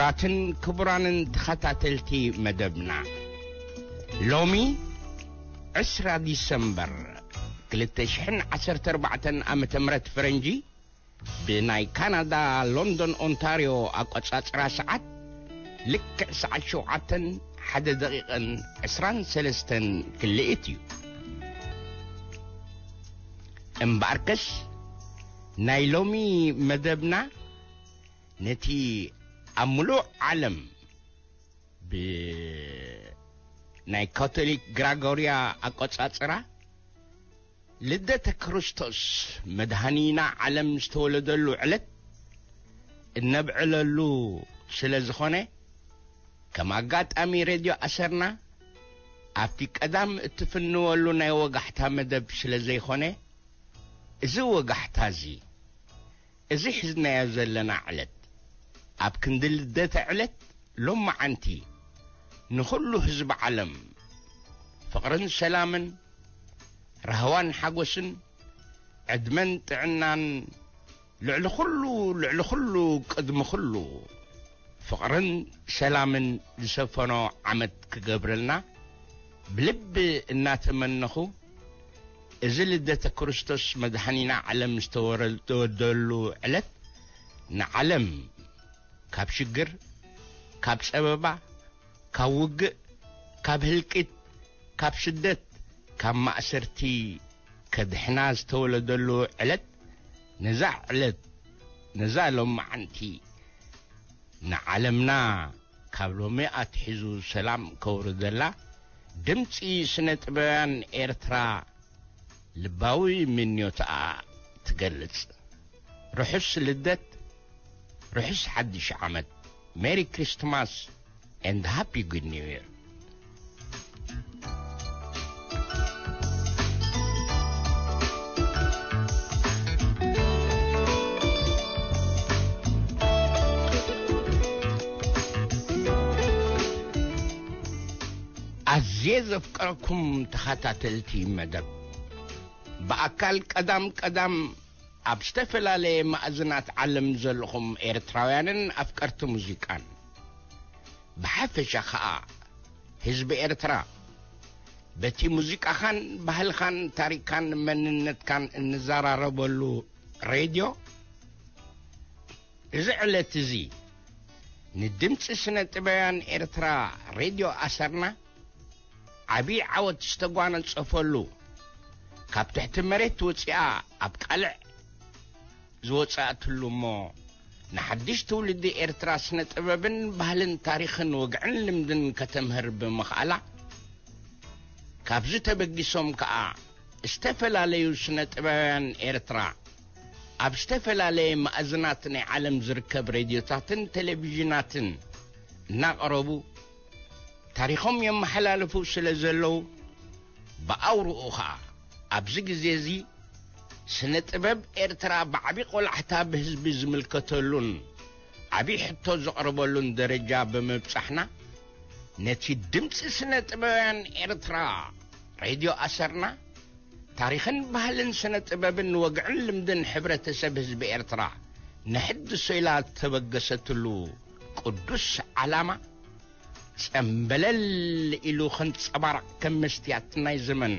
ኣትን ክቡራንን ተኸታተልቲ መደብና፣ ሎሚ ዕስራ ዲሰምበር ክልተ ሽሕን ዓሰርተ ኣርባዕተን ዓመተ ምህረት ፈረንጂ፣ ብናይ ካናዳ ሎንዶን ኦንታርዮ ኣቆጻጽራ ሰዓት፣ ልክዕ ሰዓት ሸውዓተን ሓደ ደቂቕን ዕስራን ሰለስተን ክልኢት እዩ። እምበኣርከስ፣ ናይ ሎሚ መደብና ነቲ ኣብ ምሉእ ዓለም ብናይ ካቶሊክ ግራጎርያ ኣቆጻጽራ ልደተ ክርስቶስ መድሃኒና ዓለም ዝተወለደሉ ዕለት እነብዕለሉ ስለ ዝኾነ፣ ከም ኣጋጣሚ ሬድዮ ኣሰርና ኣብቲ ቀዳም እትፍንወሉ ናይ ወጋሕታ መደብ ስለ ዘይኾነ፣ እዚ ወጋሕታ እዚ፣ እዚ ሒዝናዮ ዘለና ዕለት፣ ኣብ ክንዲ ልደተ ዕለት ሎማዓንቲ፣ ንኹሉ ህዝቢ ዓለም ፍቕርን ሰላምን፣ ራህዋን ሓጎስን፣ ዕድመን ጥዕናን፣ ልዕሊ ኩሉ፣ ልዕሊ ኩሉ፣ ቅድሚ ኩሉ፣ ፍቕርን ሰላምን ዝሰፈኖ ዓመት ክገብረልና ብልቢ እናተመነኹ፣ እዚ ልደተ ክርስቶስ መድሓኒና ዓለም ዝተወረ-፣ ዝተወደሉ ዕለት ንዓለም ካብ ሽግር፣ ካብ ጸበባ፣ ካብ ውግእ፣ ካብ ህልቂት፣ ካብ ስደት፣ ካብ ማእሰርቲ ከድሕና ዝተወለደሉ ዕለት፣ ነዛ ዕለት፣ ነዛ ሎማዓንቲ ንዓለምና ካብ ሎሚ ኣትሒዙ ሰላም ከውርደላ ድምጺ ስነ ጥበባውያን ኤርትራ ልባዊ ምንዮትኣ ትገልጽ። ርሑስ ልደት፣ ርሑስ ሓድሽ ዓመት። ሜሪ ክሪስትማስ and ሃፒ ጉድ ኒው ይር። ኣዝየ ዘፍቀረኩም ተኸታተልቲ መደብ፣ ብኣካል ቀዳም ቀዳም ኣብ ዝተፈላለየ ማእዝናት ዓለም ዘለኹም ኤርትራውያንን ኣፍቀርቲ ሙዚቃን፣ ብሓፈሻ ኸኣ ህዝቢ ኤርትራ፣ በቲ ሙዚቃኻን ባህልኻን ታሪኻን መንነትካን እንዘራረበሉ ሬድዮ፣ እዚ ዕለት እዚ ንድምጺ ስነ ጥበባውያን ኤርትራ ሬድዮ ኣሰርና ዓቢ ዓወት ዝተጓነጸፈሉ፣ ካብ ትሕቲ መሬት ወጺኣ ኣብ ቃልዕ ዝወጻእትሉ እሞ፣ ንሓድሽ ትውልዲ ኤርትራ ስነ ጥበብን ባህልን ታሪኽን ወግዕን ልምድን ከተምህር ብምኽኣላ፣ ካብዚ ተበጊሶም ከኣ ዝተፈላለዩ ስነ ጥበባውያን ኤርትራ ኣብ ዝተፈላለየ ማእዝናት ናይ ዓለም ዝርከብ ሬድዮታትን ቴሌቪዥናትን እናቐረቡ ታሪኾም የመሓላልፉ ስለ ዘለዉ፣ ብኣውርኡ ኸኣ ኣብዚ ግዜ እዚ ስነ ጥበብ ኤርትራ ብዓቢ ቆላሕታ ብህዝቢ ዝምልከተሉን ዓቢ ሕቶ ዘቕርበሉን ደረጃ ብምብጻሕና፣ ነቲ ድምጺ ስነ ጥበባውያን ኤርትራ ሬድዮ ኣሰርና፣ ታሪኽን ባህልን ስነ ጥበብን ወግዕን ልምድን ሕብረተሰብ ህዝቢ ኤርትራ ንሕድሶ ኢላ እተበገሰትሉ ቅዱስ ዓላማ፣ ጸምበለል ኢሉ ከንጸባርቕ ከም መስትያት ናይ ዘመን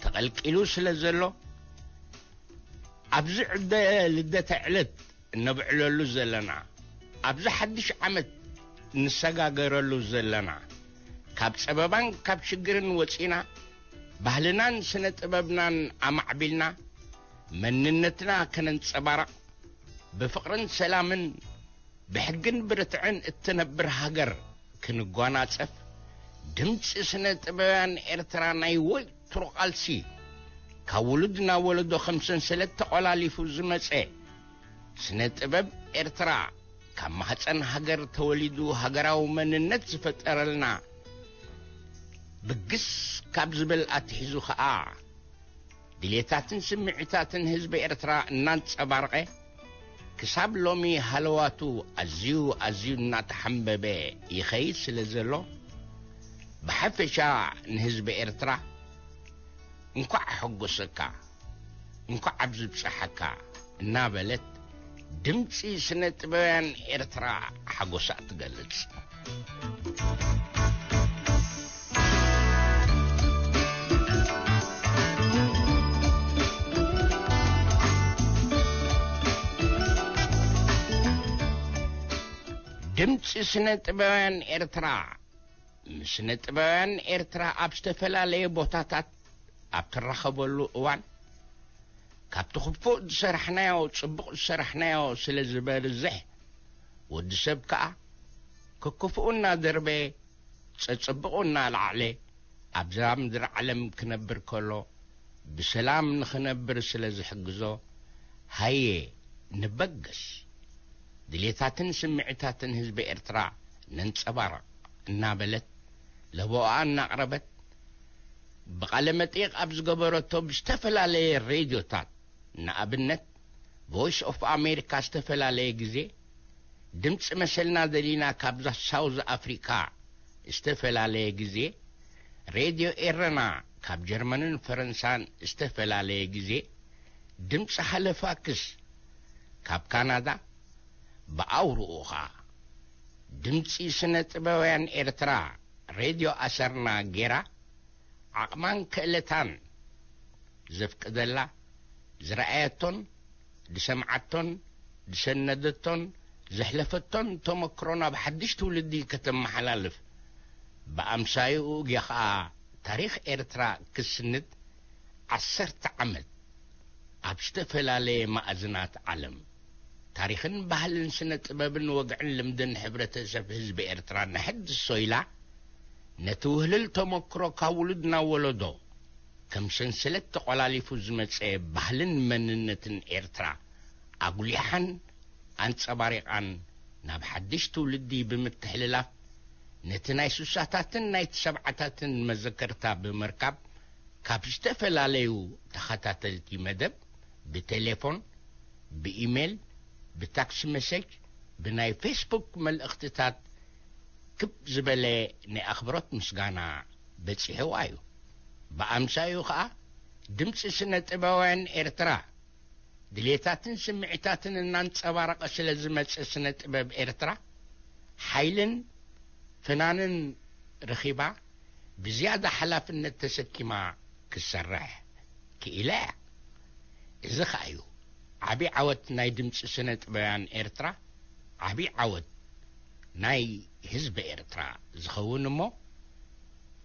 ተቐልቂሉ ስለ ዘሎ፣ ኣብዚ ዕደ ልደተ ዕለት እነብዕለሉ ዘለና፣ ኣብዚ ሓድሽ ዓመት እንሰጋገረሉ ዘለና፣ ካብ ጸበባን ካብ ሽግርን ወጺና፣ ባህልናን ስነ ጥበብናን ኣማዕቢልና፣ መንነትና ከነንጸባርቕ፣ ብፍቕርን ሰላምን ብሕግን ብርትዕን እትነብር ሃገር ክንጓናጸፍ፣ ድምጺ ስነ ጥበባውያን ኤርትራ ናይ ወትሩ ቃልሲ፣ ካብ ውሉድ ናብ ወለዶ ከም ሰንሰለት ተቖላሊፉ ዝመጸ፣ ስነ ጥበብ ኤርትራ ካብ ማህጸን ሃገር ተወሊዱ ሃገራዊ መንነት ዝፈጠረልና፣ ብግስ ካብ ዝብል ኣትሒዙ ኸኣ፣ ድሌታትን ስምዒታትን ህዝቢ ኤርትራ እናንጸባረቐ፣ ክሳብ ሎሚ ሃለዋቱ ኣዝዩ ኣዝዩ እናተሓምበበ ይኸይድ ስለ ዘሎ፣ ብሓፈሻ ንህዝቢ ኤርትራ እንኳዕ ኣሐጎሰካ፣ እንኳዕ ኣብዚ ብጽሓካ እናበለት፣ ድምጺ ስነ ጥበውያን ኤርትራ ሓጎሳ ትገልጽ። ድምጺ ስነ ጥበውያን ኤርትራ፣ ምስ ስነ ጥበውያን ኤርትራ ኣብ ዝተፈላለየ ቦታታት ኣብ ትራኸበሉ እዋን፣ ካብቲ ክፉእ ዝሰራሕናዮ ጽቡቕ ዝሰራሕናዮ ስለ ዝበርዝሕ፣ ወዲ ሰብ ከኣ ክክፍኡ እናደርበየ፣ ጸጽብቑ እናለዓዕለ ኣብዛ ምድሪ ዓለም ክነብር ከሎ፣ ብሰላም ንኽነብር ስለ ዝሕግዞ፣ ሃየ ንበገስ፣ ድሌታትን ስምዒታትን ህዝቢ ኤርትራ ነንጸባርቕ እናበለት፣ ለበዋኣ እናቕረበት፣ ብቓለ መጠይቕ ኣብ ዝገበረቶ ብዝተፈላለየ ሬድዮታት፣ ንኣብነት፣ ቮይስ ኦፍ ኣሜሪካ ዝተፈላለየ ግዜ፣ ድምፂ መሰልና ደሊና ካብዛ ሳውዝ ኣፍሪካ ዝተፈላለየ ግዜ፣ ሬድዮ ኤረና ካብ ጀርመንን ፈረንሳን ዝተፈላለየ ግዜ፣ ድምፂ ሃለፋክስ ካብ ካናዳ፣ ብኣውርኡ ኸዓ ድምፂ ስነ ጥበውያን ኤርትራ፣ ሬድዮ ኣሰርና ጌራ፣ ዓቕማን ክእለታን ዘፍቅደላ፣ ዝረኣየቶን ዝሰምዓቶን ዝሰነደቶን ዘሕለፈቶን ተመክሮ ናብ ሓድሽ ትውልዲ ከተመሓላልፍ፣ ብኣምሳይኡ ጌኻ ታሪኽ ኤርትራ ክስንድ፣ ዓሰርተ ዓመት ኣብ ዝተፈላለየ ማእዝናት ዓለም ታሪኽን ባህልን ስነ ጥበብን ወግዕን ልምድን ሕብረተሰብ ህዝቢ ኤርትራ ነሕድሶ ኢላ፣ ነቲ ውህልል ተመክሮ ካብ ውሉድ ናብ ወለዶ ከም ሰንሰለት ተቖላሊፉ ዝመጸ ባህልን መንነትን ኤርትራ ኣጉሊሓን ኣንጸባሪቓን ናብ ሓድሽ ትውልዲ ብምትሕልላፍ፣ ነቲ ናይ ሱሳታትን ናይ ሰብዓታትን መዘከርታ ብምርካብ፣ ካብ ዝተፈላለዩ ተኸታተልቲ መደብ ብቴሌፎን፣ ብኢሜል፣ ብታክስ መሴጅ፣ ብናይ ፌስቡክ መልእኽትታት ክብ ዝበለ ናይ ኣኽብሮት ምስጋና በጺሕዋ እዩ። ብኣምሳዩ ኸኣ ድምጺ ስነ ጥበባውያን ኤርትራ ድሌታትን ስምዒታትን እናንጸባረቐ ስለ ዝመጸ ስነ ጥበብ ኤርትራ ሓይልን ፍናንን ረኺባ ብዝያዳ ሓላፍነት ተሰኪማ ክሰርሕ ክኢላ እያ። እዚ ኸኣ እዩ ዓቢ ዓወት ናይ ድምጺ ስነ ጥበባውያን ኤርትራ፣ ዓቢ ዓወት ናይ ህዝቢ ኤርትራ ዝኸውን እሞ፣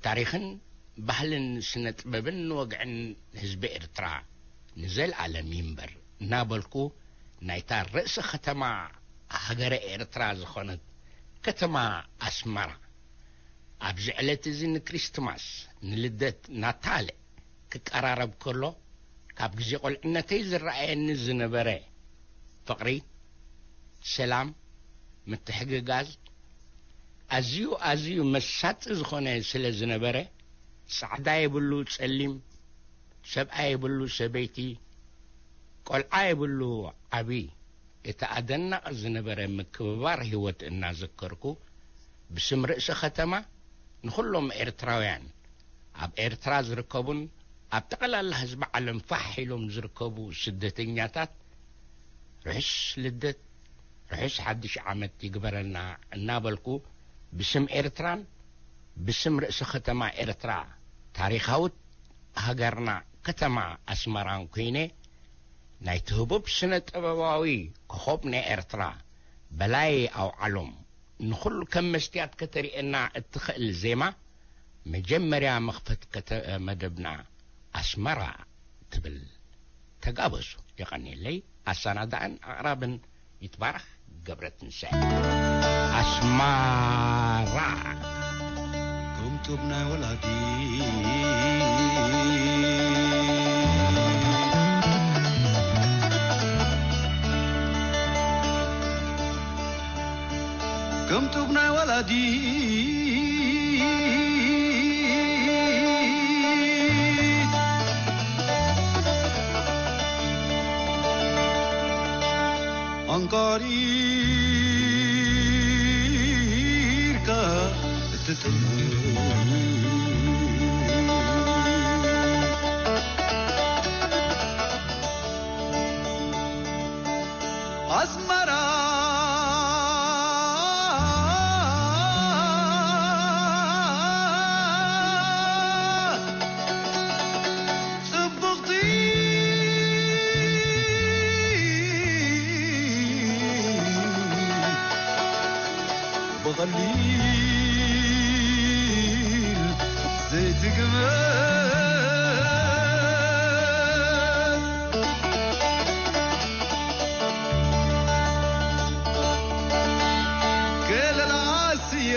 ታሪኽን ባህልን ስነ ጥበብን ወግዕን ህዝቢ ኤርትራ ንዘለኣለም ይንበር እናበልኩ፣ ናይታ ርእሲ ከተማ ሃገረ ኤርትራ ዝኾነት ከተማ ኣስመራ፣ ኣብዚ ዕለት እዚ ንክሪስትማስ፣ ንልደት፣ ናታለ ክቀራረብ ከሎ፣ ካብ ግዜ ቁልዕነተይ ዝረኣየኒ ዝነበረ ፍቕሪ፣ ሰላም፣ ምትሕግጋዝ፣ ኣዝዩ፣ ኣዝዩ መሳጢ ዝኾነ ስለ ዝነበረ፣ ጻዕዳ የብሉ ጸሊም፣ ሰብኣይ የብሉ ሰበይቲ፣ ቆልዓ የብሉ ዓቢ፣ እቲ ኣደናቒ ዝነበረ ምክብባር ህይወት እናዘከርኩ፣ ብስም ርእሰ ከተማ ንኹሎም ኤርትራውያን፣ ኣብ ኤርትራ ዝርከቡን ኣብ ጠቕላላ ህዝቢ ዓለም ፋሕ ኢሎም ዝርከቡ ስደተኛታት፣ ርሑስ ልደት፣ ርሑስ ሓድሽ ዓመት ይግበረልና እናበልኩ፣ ብስም ኤርትራን ብስም ርእሰ ከተማ ኤርትራ፣ ታሪኻዊት ሃገርና ከተማ ኣስመራን ኮይነ፣ ናይቲ ህቡብ ስነ ጥበባዊ ኮኾብ ናይ ኤርትራ በላይ ኣውዓሎም፣ ንኹሉ ከም መስትያት ከተርእየና እትኽእል ዜማ፣ መጀመርያ መኽፈት ከተ-፣ መደብና ኣስመራ ትብል። ተጋበዙ። የቐንየለይ። ኣሰናዳእን ኣቕራብን ይትባረኽ ገብረትንሳኤ። ኣስመራ። ከም ጡብ ናይ ወላዲ፣ ከም ጡብ ናይ ወላዲ፣ ኣንቃሪርካ እትጥምት። ዘይትግመት ገለላ ስየ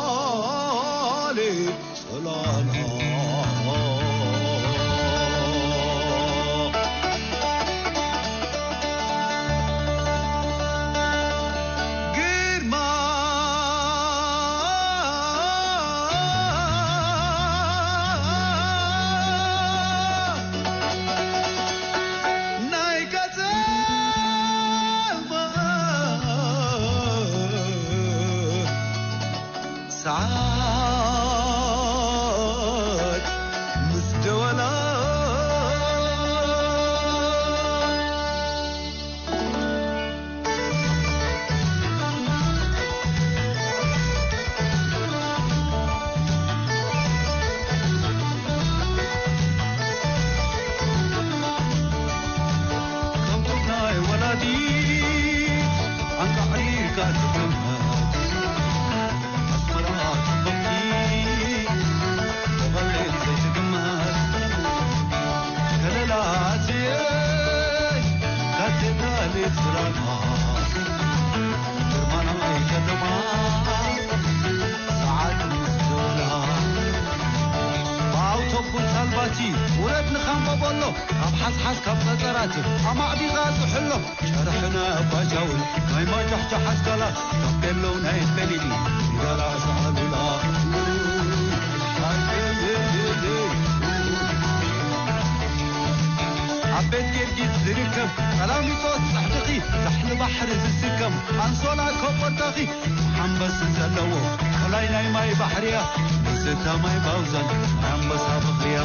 ካቴድራል ጽላላ ግርማ ናይ ቀደም ሰዓት ምስ ደወላ ከምቶም ናይ ወላዲት ኣንቃዕሪርካ ትጥመት ኣስመራ ጽብቕቲ ተቐልል ዘይትግመት ከለላ ኣትየ ካቴድራል ጽላላ ግርማ ናይ ከተማ ሰዓት ምስ ደወላ ብኣውቶቡስ ሳልባቲ ውረድ ንኻምቦ በሎ ካብ ሓስሓስ ካብ ጸጸራት ኣማዕዲኻ ዝሕሎ ጨርሕና ባጃውን ናይ ማጃሕጃሕ ኣስጋላ ታፔሎ ናይ በሊሊ ንጋላ ሰዓሉላ ኣብ ቤት ጊዮርጊስ ዝርከብ ቀላሚጦስ ጽሕድኺ ዛሕሊ ባሕሪ ዝስከም ኣንሶላ ኮቦርታኺ ሓምበስ ዘለዎ ከላይ ናይ ማይ ባሕርያ ንስታ ማይ ባውዛን ናይ ኣንበሳ በኽርያ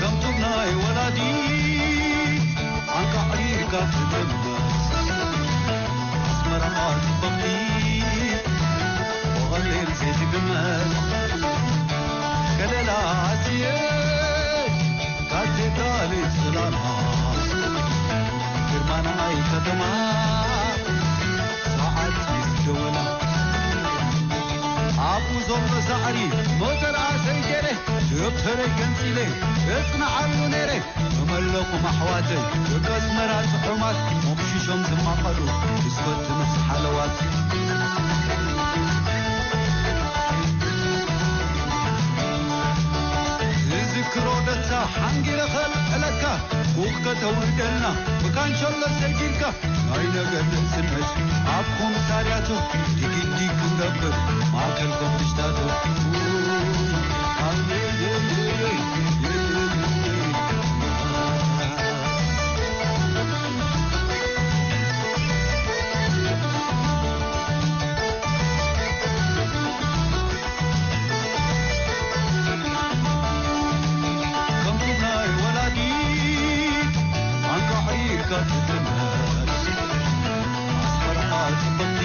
ከምቶም ናይ ወላዲት ኣንቃዕሪርካ ትጥመት ኣስመራ ጽብቕቲ ብቐሊል ዘይትግመት ከለላ ኣስየ ካቴድራል ጽላላ ግርማ ናይ ከተማ ሰዓት ምስ ደወላ ኣብኡ ዘሎ ሳዕሪ ሞተር ኣሰይ ገይረ ደብተረይ ገንጺለ እጽንዓሉ ነይረ ተመለኹም ኣሕዋተይ ደቂ ኣስመራ ጽዑማት ሞቕሺሾም ዝማቐሉ ብስኮት ምስ ሓለዋት ዝዝክሮ ደታ ሓንጊረ ኸልዕለካ ቡኽ ከተውርደልና ብካንሸሎ ሰጊርካ ናይ ነገር ንእስነት ኣብ ኮሚሳርያቱ ዲግዲግ ክንገብር ማእከል ኮሚኒስታቱ ከምቲ ናይ ወላዲት ኣንቃዕሪርካ ትጥመት ኣስመራ ጽብቕቲ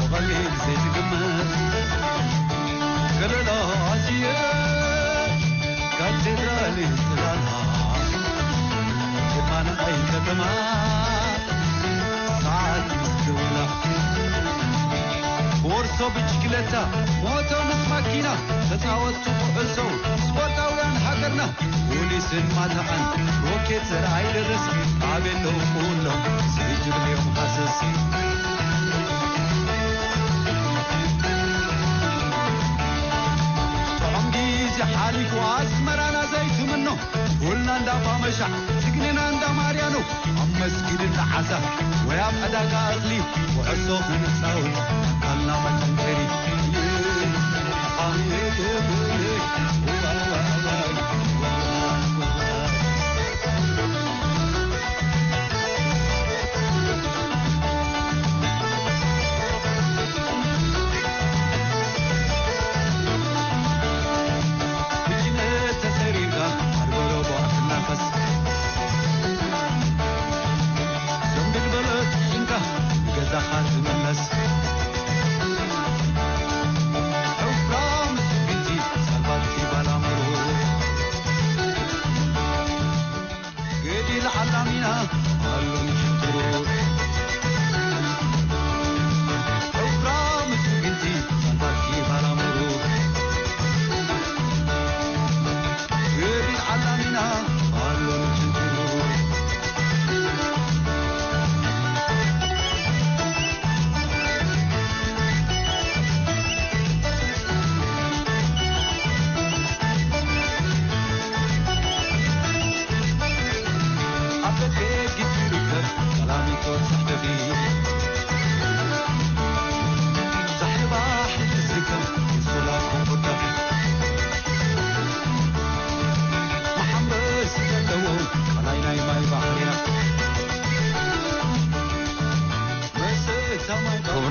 ብቐሊል ዘይትግመት ከለላ ኣስየ ካቴድራል ጽላላ ግርማ ናይ ከተማ ሰዓት ምስ ደወላ ቦርሶ ብሽክለታ ሞቶ ምስ ማኪና ተጻወትቱ ኩዕሶ ስፖርታውያን ሃገርና ፖሊስን ማታኣን ሮኬት ዘርኣይ ደረስ ኣበሎ ኩሎም ዘይጅብልዮም ሃሰስ ጥዑም ግዜ ሓሊፉ ኣስመራና ዘይትምኖ ጎልና እንዳ ባመሻ ስግንና እንዳ ማርያኖ ኣብ መስጊድ እንዳ ዓዛ ወይ ኣብ ዕዳጋ እኽሊ ኩዕሶ ክንጻወት ኣካልና መጠንከሪ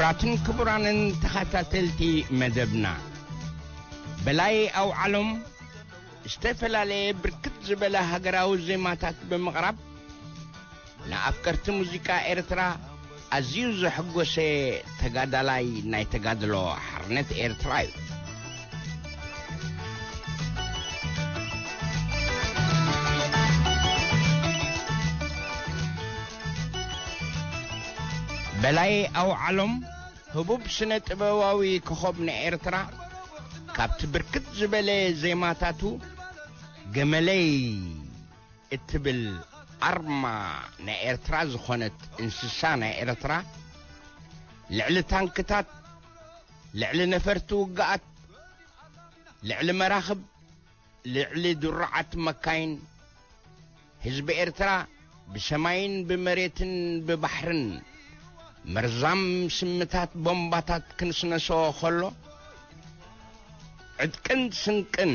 ኣትን ክቡራንን ተኸታተልቲ መደብና፣ በላይ ኣውዓሎም ዝተፈላለየ ብርክት ዝበለ ሃገራዊ ዜማታት ብምቕራብ፣ ንኣፍቀርቲ ሙዚቃ ኤርትራ ኣዝዩ ዘሐጎሰ ተጋዳላይ ናይ ተጋድሎ ሓርነት ኤርትራ እዩ። በላይ ኣውዓሎም ህቡብ ስነ ጥበባዊ ኮኸብ ንኤርትራ፣ ካብቲ ብርክት ዝበለ ዜማታቱ፣ ገመለይ እትብል ኣርማ ናይ ኤርትራ ዝኾነት እንስሳ ናይ ኤርትራ፣ ልዕሊ ታንክታት፣ ልዕሊ ነፈርቲ ውግኣት፣ ልዕሊ መራኽብ፣ ልዕሊ ድሩዓት መካይን፣ ህዝቢ ኤርትራ ብሰማይን ብመሬትን ብባሕርን መርዛም ስምታት ቦምባታት ክንስነሶ ከሎ፣ ዕጥቅን ስንቅን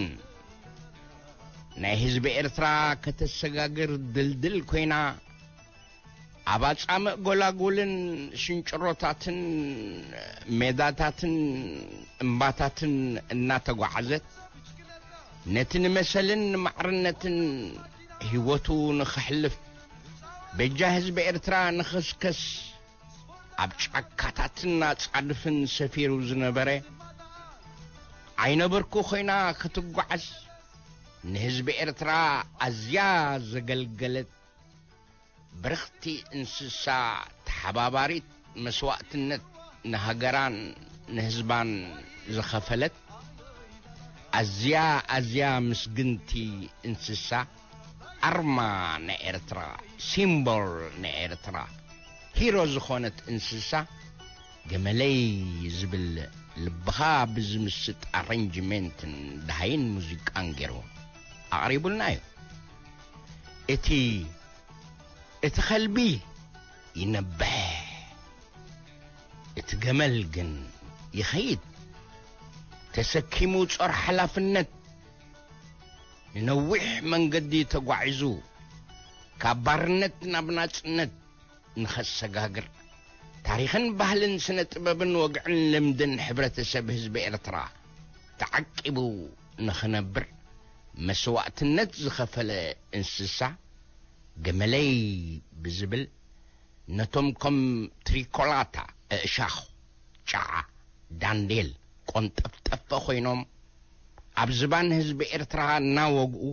ናይ ህዝቢ ኤርትራ ከተሰጋግር ድልድል ኮይና፣ ኣብ ኣጻምእ ጎላጉልን ሽንጭሮታትን ሜዳታትን እምባታትን እናተጓዓዘት፣ ነቲ ንመሰልን ንማዕርነትን ህይወቱ ንኸሕልፍ፣ በጃ ህዝቢ ኤርትራ ንኸስከስ፣ ኣብ ጫካታትን ኣጻድፍን ሰፊሩ ዝነበረ፣ ዓይነ ብርኩ ኮይና ክትጓዓዝ፣ ንህዝቢ ኤርትራ ኣዝያ ዘገልገለት ብርኽቲ እንስሳ፣ ተሓባባሪት መስዋእትነት ንሃገራን ንህዝባን ዝኸፈለት፣ ኣዝያ ኣዝያ ምስግንቲ እንስሳ፣ ኣርማ ናይ ኤርትራ፣ ሲምቦል ናይ ኤርትራ፣ ሂሮ ዝኾነት እንስሳ፣ ገመለይ ዝብል ልብኻ ብዝምስጥ ኣረንጅሜንትን ደሃይን ሙዚቃን ገይሩ ኣቕሪቡልና እዩ። እቲ እቲ ኸልቢ ይነብሕ፣ እቲ ገመል ግን ይኸይድ። ተሰኪሙ ጾር ሓላፍነት፣ ንነዊሕ መንገዲ ተጓዒዙ፣ ካብ ባርነት ናብ ናጽነት ንኸሰጋግር፣ ታሪኽን ባህልን ስነ ጥበብን ወግዕን ልምድን ሕብረተሰብ ህዝቢ ኤርትራ ተዓቂቡ ንኽነብር መስዋእትነት ዝኸፈለ እንስሳ፣ ገመለይ ብዝብል፣ ነቶም ከም ትሪኮላታ፣ እሻኽ፣ ጫዓ፣ ዳንዴል፣ ቆንጠፍጠፈ ኮይኖም ኣብ ዝባን ህዝቢ ኤርትራ እናወግኡ፣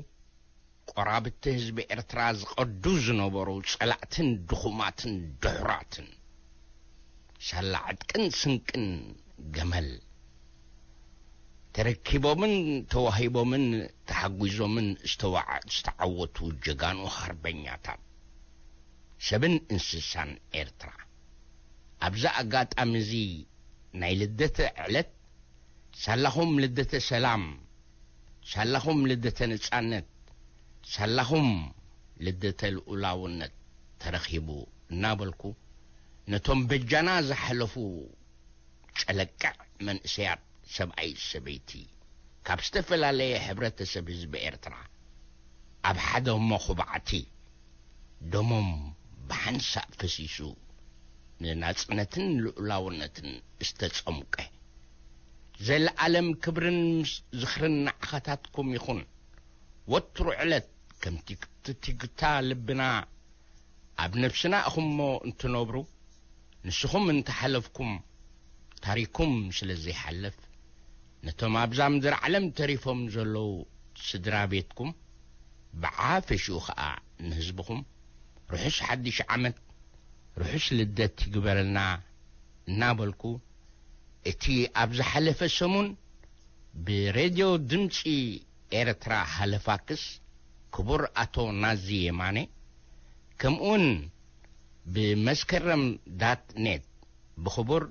ቆራብቲ ህዝቢ ኤርትራ ዝቐዱ ዝነበሩ ጸላእትን ድኹማትን ድሑራትን፣ ሳላ ዕጥቅን ስንቅን ገመል ተረኪቦምን ተዋሂቦምን ተሓጒዞምን ዝተዋዓ-፣ ዝተዓወቱ ጀጋኑ ሓርበኛታት ሰብን እንስሳን ኤርትራ። ኣብዚ ኣጋጣሚ እዚ ናይ ልደተ ዕለት፣ ሳላኹም ልደተ ሰላም፣ ሳላኹም ልደተ ነጻነት፣ ሳላኹም ልደተ ልኡላውነት ተረኺቡ እናበልኩ፣ ነቶም በጃና ዝሓለፉ ጨለቅዕ መንእሰያት፣ ሰብኣይ ሰበይቲ፣ ካብ ዝተፈላለየ ሕብረተሰብ ህዝቢ ኤርትራ ኣብ ሓደ መኹባዕቲ ደሞም ብሓንሳእ ፈሲሱ ንናጽነትን ልኡላውነትን ዝተጸምቀ፣ ዘለኣለም ክብርን ምስ ዝኽርን ንዓኻታትኩም ይኹን። ወትሩ ዕለት ከምቲ ትትግታ ልብና ኣብ ነፍስና ኢኹምሞ እንትነብሩ፣ ንስኹም እንተሓለፍኩም፣ ታሪኩም ስለ ዘይሓልፍ፣ ነቶም ኣብዛ ምድሪ ዓለም ተሪፎም ዘለዉ ስድራ ቤትኩም፣ ብዓፈሽኡ ኸኣ ንህዝብኹም፣ ርሑስ ሓድሽ ዓመት፣ ርሑስ ልደት ይግበረልና እናበልኩ፣ እቲ ኣብ ዝሓለፈ ሰሙን ብሬድዮ ድምጺ ኤርትራ ሃለፋክስ ክቡር ኣቶ ናዚ የማነ፣ ከምኡውን ብመስከረም ዳት ኔት ብኽቡር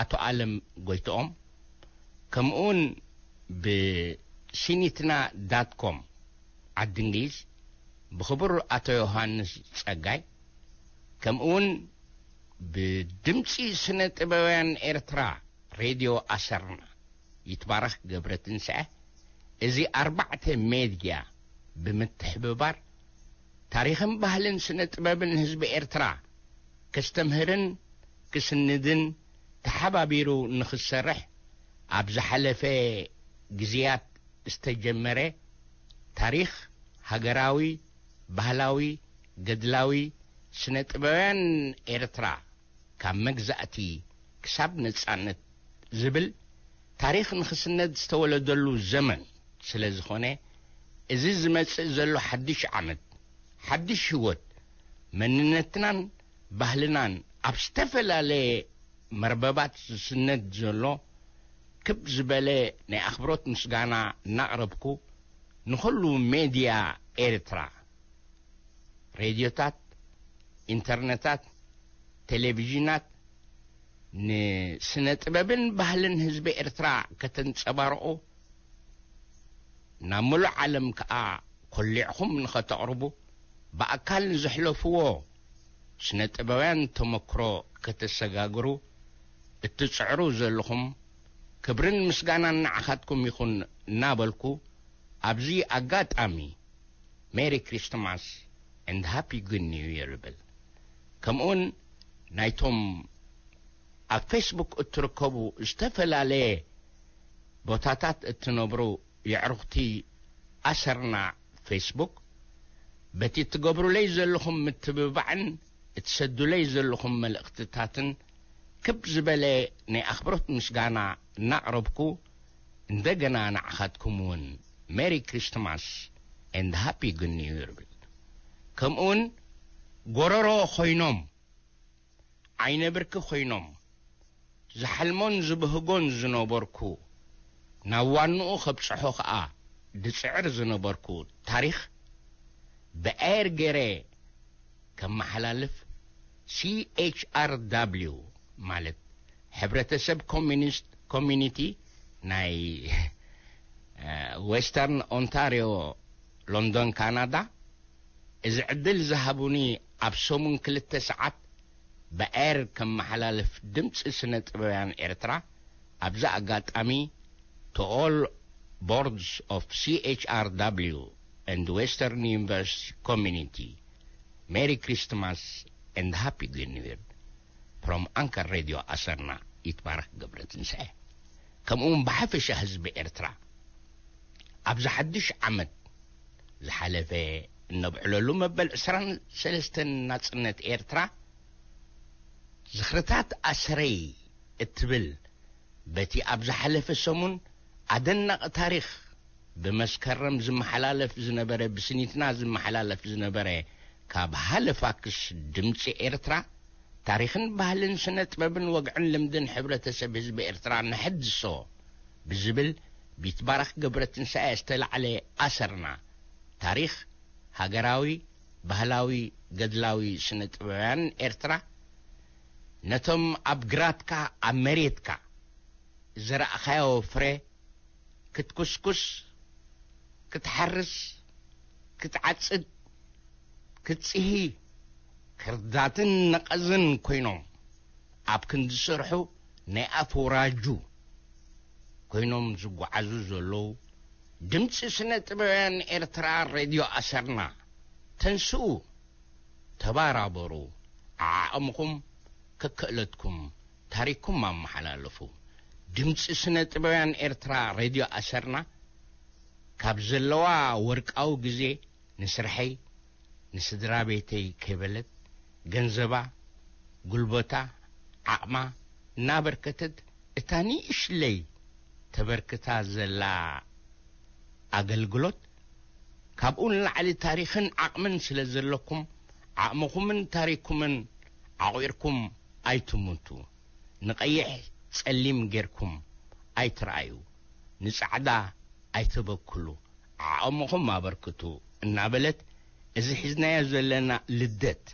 ኣቶ ኣለም ጎይትኦም፣ ከምኡውን ብሲኒትና ዳት ኮም ዓዲ እንግሊዝ ብኽቡር ኣቶ ዮሃንስ ጸጋይ፣ ከምኡውን ብድምጺ ስነ ጥበባውያን ኤርትራ ሬድዮ ኣሰርና ይትባረኽ ገብረ ትንስኤ፣ እዚ ኣርባዕተ ሜድያ ብምትሕብባር፣ ታሪኽን ባህልን ስነ ጥበብን ህዝቢ ኤርትራ ከስተምህርን ክስንድን ተሓባቢሩ ንኽሰርሕ ኣብ ዝሓለፈ ግዜያት ዝተጀመረ ታሪኽ ሃገራዊ፣ ባህላዊ፣ ገድላዊ፣ ስነ ጥበባውያን ኤርትራ ካብ መግዛእቲ ክሳብ ነጻነት ዝብል ታሪኽ ንኽስነድ ዝተወለደሉ ዘመን ስለ ዝኾነ፣ እዚ ዝመጽእ ዘሎ ሓድሽ ዓመት፣ ሓድሽ ህይወት፣ መንነትናን ባህልናን ኣብ ዝተፈላለየ መርበባት ዝስነድ ዘሎ ክብ ዝበለ ናይ ኣኽብሮት ምስጋና እናቕረብኩ፣ ንኹሉ ሜድያ ኤርትራ፣ ሬድዮታት፣ ኢንተርነታት፣ ቴሌቪዥናት፣ ንስነ ጥበብን ባህልን ህዝቢ ኤርትራ ከተንጸባርቑ፣ ናብ ምሉእ ዓለም ከኣ ኮሊዕኹም ንኸተቕርቡ፣ ብኣካል ንዘሕለፍዎ ስነ ጥበባውያን ተመክሮ ከተሰጋግሩ እትጽዕሩ ዘለኹም፣ ክብርን ምስጋናን ንዓኻትኩም ይኹን እናበልኩ፣ ኣብዚ ኣጋጣሚ ሜሪ ክሪስትማስ ኤንድ ሃፒ ጉድ ኒው ይር ይብል። ከምኡውን ናይቶም ኣብ ፌስቡክ እትርከቡ ዝተፈላለየ ቦታታት እትነብሩ የዕሩኽቲ ኣሰርና ፌስቡክ፣ በቲ እትገብሩለይ ዘለኹም ምትብባዕን እትሰዱለይ ዘለኹም መልእኽትታትን ክብ ዝበለ ናይ ኣኽብሮት ምስጋና እናቕረብኩ፣ እንደገና ንዓኻትኩም እውን ሜሪ ክሪስትማስ ኤንድ ሃፒ ጉድ ኒው ይር ይብል። ከምኡውን ጎረሮ ኮይኖም፣ ዓይነ ብርኪ ኮይኖም፣ ዝሓልሞን ዝብህጎን ዝነበርኩ፣ ናብ ዋንኡ ከብጽሖ ኸኣ ድጽዕር ዝነበርኩ ታሪኽ ብኤር ገይረ ከመሓላልፍ፣ ሲ ኤች ኣር ዳብሊው ማለት ሕብረተሰብ ኮሚኒስት ኮሚኒቲ ናይ፣ እ፣ ዌስተርን ኦንታሪዮ፣ ሎንዶን፣ ካናዳ፣ እዚ ዕድል ዝሃቡኒ፣ ኣብ ሰሙን ክልተ ሰዓት ብኤር ከመሓላልፍ ድምጺ ስነ ጥበባውያን ኤርትራ፣ ኣብዚ ኣጋጣሚ፣ to all boards of C H R W and Western University community, Merry Christmas and Happy New Year from Anchor Radio ኣሰርና፣ ይትባረክ ገብረትንሳኤ። ከምኡውን ብሓፈሻ ህዝቢ ኤርትራ፣ ኣብዚ ሓድሽ ዓመት ዝሓለፈ እነብዕለሉ መበል ዕስራን ሰለስተን ናጽነት ኤርትራ፣ ዝኽርታት ኣሰረይ እትብል በቲ ኣብ ዝሓለፈ ሰሙን ኣደናቒ ታሪኽ ብመስከረም ዝመሓላለፍ ዝነበረ፣ ብስኒትና ዝመሓላለፍ ዝነበረ፣ ካብ ሃለፋክስ ድምጺ ኤርትራ፣ ታሪኽን ባህልን ስነ ጥበብን ወግዕን ልምድን ሕብረተሰብ ህዝቢ ኤርትራ ንሐድሶ ብዝብል ቢትባረኽ ገብረትንሳኤ ዝተላዕለ ኣሰርና፣ ታሪኽ ሃገራዊ፣ ባህላዊ፣ ገድላዊ ስነ ጥበባውያን ኤርትራ፣ ነቶም ኣብ ግራትካ፣ ኣብ መሬትካ ዝረኣኻዮ ፍረ ክትኩስኩስ፣ ክትሓርስ፣ ክትዓጽድ፣ ክትጽሂ፣ ክርዳትን ነቐዝን ኮይኖም፣ ኣብ ክንዲ ስርሑ ናይ ኣፍ ወራጁ ኮይኖም ዝጓዓዙ ዘለዉ፣ ድምጺ ስነ ጥበባውያን ኤርትራ፣ ሬድዮ ኣሰርና፣ ተንስኡ፣ ተባራበሩ፣ ዓዓቕምኹም ከክእለትኩም ታሪኽኩም ኣመሓላልፉ። ድምጺ ስነ ጥበባውያን ኤርትራ፣ ሬድዮ ኣሰርና፣ ካብ ዘለዋ ወርቃዊ ግዜ ንስርሐይ፣ ንስድራ ቤተይ ከይበለት፣ ገንዘባ፣ ጉልበታ፣ ዓቕማ እናበርከተት፣ እታ ንእሽለይ ተበርክታ ዘላ ኣገልግሎት፣ ካብኡ ንላዕሊ ታሪኽን ዓቕምን ስለ ዘለኩም፣ ዓቕምኹምን ታሪኽኩምን ዓቑርኩም ኣይትሙቱ። ንቐይሕ ጸሊም ጌርኩም ኣይትርኣዩ። ንጻዕዳ ኣይተበክሉ። ዓቕምኹም ኣበርክቱ እናበለት፣ እዚ ሒዝናዮ ዘለና ልደት፣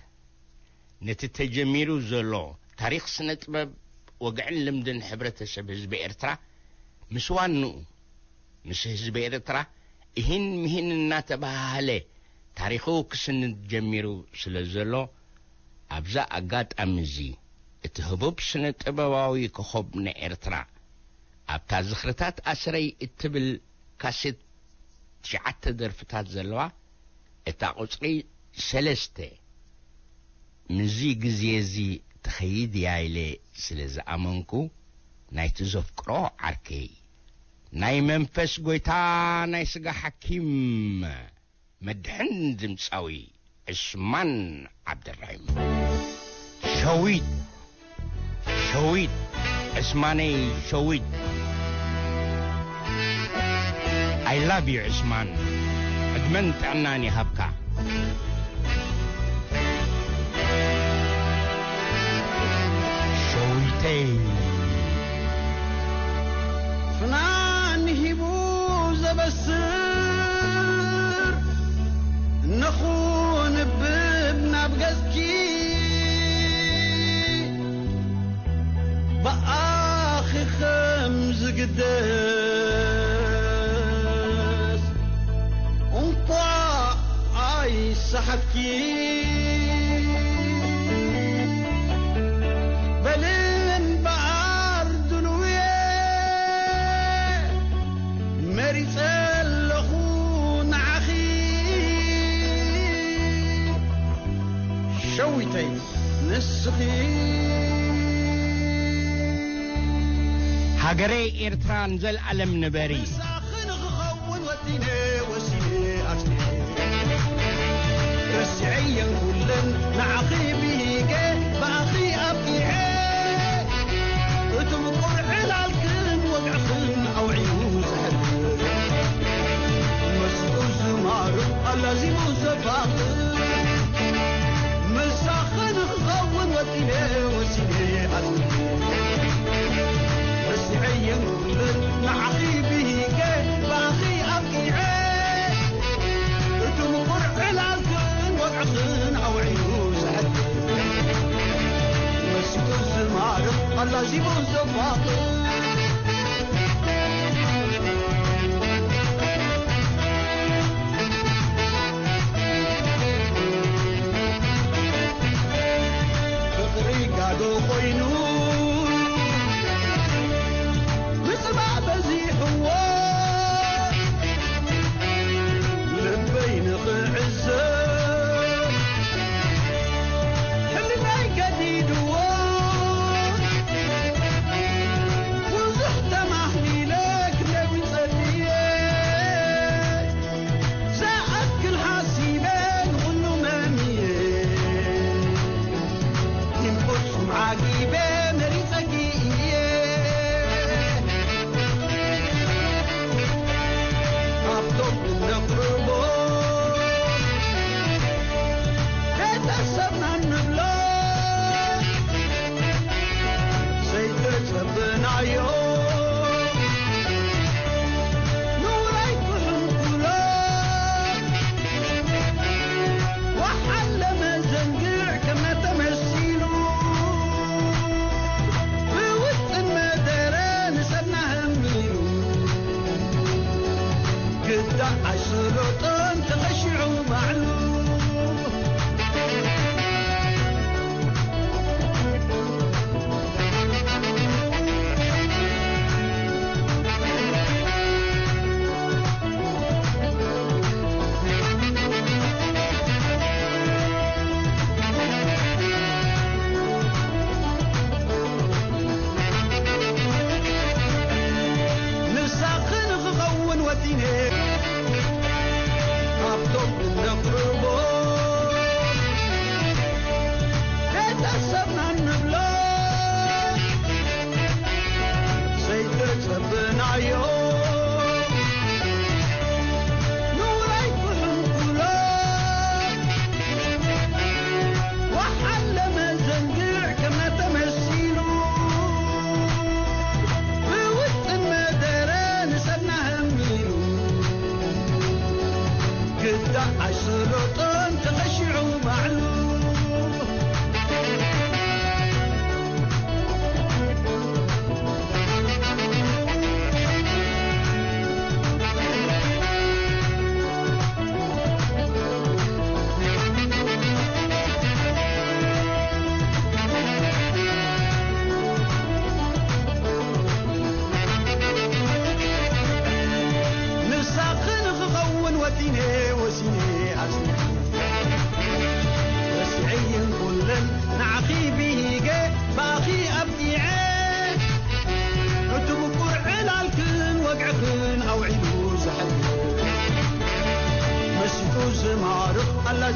ነቲ ተጀሚሩ ዘሎ ታሪኽ ስነ ጥበብ፣ ወግዕን ልምድን ሕብረተሰብ ህዝቢ ኤርትራ፣ ምስ ዋንኡ፣ ምስ ህዝቢ ኤርትራ፣ እሂን ምሂን እናተበሃሃለ ታሪኹ ክስንድ ጀሚሩ ስለ ዘሎ፣ ኣብዛ ኣጋጣሚ እዚ፣ እቲ ህቡብ ስነ ጥበባዊ ኮኾብ ንኤርትራ፣ ኣብታ ዝኽርታት ኣስረይ እትብል ካሴት ትሽዓተ ደርፍታት ዘለዋ፣ እታ ቁጽሪ ሰለስተ፣ ምስዚ ግዜ እዚ ትኸይድ እያ ኢለ ስለ ዝኣመንኩ፣ ናይቲ ዘፍቅሮ ዓርከይ፣ ናይ መንፈስ ጐይታ፣ ናይ ስጋ ሓኪም፣ መድሕን ድምጻዊ ዕስማን ዓብደራሂም። ሸዊት፣ ሸዊት፣ ዕስማነይ ሸዊት። I love you ዕስማን፣ ዕድመን ጥዕናን ይሃብካ። ሸዊተይ። ፍናን ሂቡ ዘበስር ነኹንብብ ናብ ገጽኪ፣ ብኣኺ ከም ዝግደስ እንኳዕ ኣይሰሓትኪ። በሊ እምበኣር ድልውየ መሪጸ ኣለኹ ንዓኺ ሸዊተይ ንስኺ። ሃገረይ ኤርትራ ንዘልኣለም ንበሪ። ንስኺ ንኽኸውን ወጢነ ወሲነ ኣጽኒዐ። ረሲዐየን ኩለን ንዓኺ ብሂገ ብኣኺ ኣብቂዐ። እቲ ምቁር ዕላልክን ወግዕኽን ኣውዒኡ ዘሕድር፣ መስጡ ዝማርቕ ኣላዚሙ ዘፋቕር። ምሳኺ ንኽኸውን ወጢነ ወሲነ ኣጽኒዐ። ረሲዐየን ኩለን ንዓኺ ብሂገ ብኣኺ ኣብቂዐ። እቲ ምቁር ዕላልክን ወግዕኽን ኣውዒኡ ዘሕድር፣ መስጡ ዝማርኽ ኣላዚሙ ዘፋቕር። ፍቕሪ ጋዶ ኮይኑ ምጽባእ በዚሕዎ፣ ልበይ ንኽዕዘብ ሕልናይ ገዲድዎ። ብዙሕ ተማህሊለ ክነቢ ጸልየ፣ ዝኣክል ሓሲበ ንኹሉ መምየ፣ ግን ፍጹም ዓጊበ መሪጸኪ እየ። ካብቶም እነቕርቦ ቤተሰብና እንብሎ ዘይተጸበናዮ ንውራይ ክሕንኩሎ ወሓለ መዘንግዕ ከመ ተመሲሉ ብውጥን መደረ ንሰብና ህሚሉ ግዳ ኣይሰለጦን ተቐሺዑ ባዕሉ። ንሳኺ ንኽኸውን ወጢነ ካብቶም እነቕርቦ ቤተሰብና እንብሎ ዘይተጸበናዮ ንውራይ ክሕንኩሎ ወሓለ መዘንግዕ ከመ ተመሲሉ ብውጥን መደረ ንሰብና ህሚሉ ግዳ ኣይሰለጦን ተቐሺዑ ባዕሉ። ንሳኺ ንኽኸውን ወጢነ ወሲነ ኣጽኒዐ። ረሲዐየን ኩለን ንዓኺ ብሂገ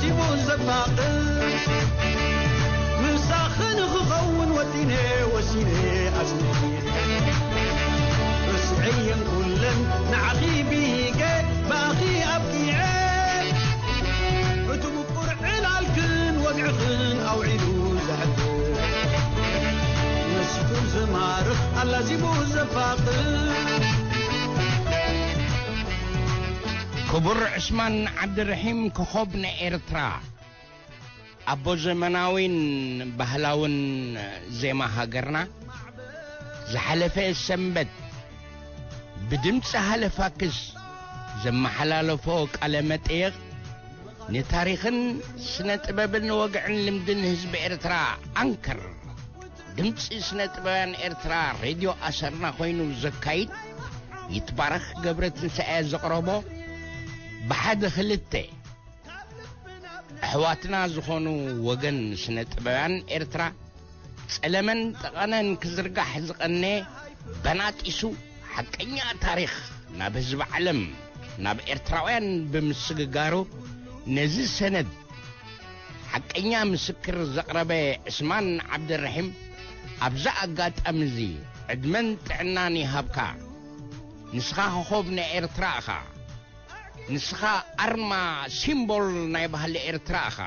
ቲቡ ዘፋቕር ምሳኺ ንኽኸውን ወጢነ ወሲነ ኣጽኒዐ። ርስዐየን ኩለን ንዓኺ ብሂገ ብኣኺ ኣብቂዐ። እቲ ምቁር ዕላልክን ወግዕኽን ኣውዒሉ ዘሕብር መስፉን ዝማርኽ ኣላዚቡ ዘፋቕር። ክቡር ዕስማን ዓብድርሒም፣ ኮኾብ ናይ ኤርትራ፣ ኣቦ ዘመናዊን ባህላውን ዜማ ሃገርና፣ ዝሓለፈ ሰንበት ብድምጺ ሃለፋክስ ዘመሓላለፎ ቃለ መጠየቕ፣ ንታሪኽን ስነ ጥበብን ወግዕን ልምድን ህዝቢ ኤርትራ ኣንከር፣ ድምጺ ስነ ጥበባውያን ኤርትራ ሬድዮ ኣሰርና ኮይኑ ዘካይድ ይትባረኽ ገብረትንሳኤ ዘቕረቦ፣ ብሓደ ክልተ ኣሕዋትና ዝኾኑ ወገን ስነ ጥበባውያን ኤርትራ፣ ጸለመን ጠቐነን ክዝርጋሕ ዝቐነ፣ በናጢሱ ሓቀኛ ታሪኽ ናብ ህዝቢ ዓለም፣ ናብ ኤርትራውያን ብምስግጋሩ፣ ነዚ ሰነድ ሓቀኛ ምስክር ዘቕረበ ዕስማን ዓብደረሒም፣ ኣብዛ ኣጋጣሚ እዚ ዕድመን ጥዕናን ይሃብካ። ንስኻ ኮኾብ ናይ ኤርትራ ኢኻ። ንስኻ ኣርማ፣ ሲምቦል ናይ ባህሊ ኤርትራ ኢኻ።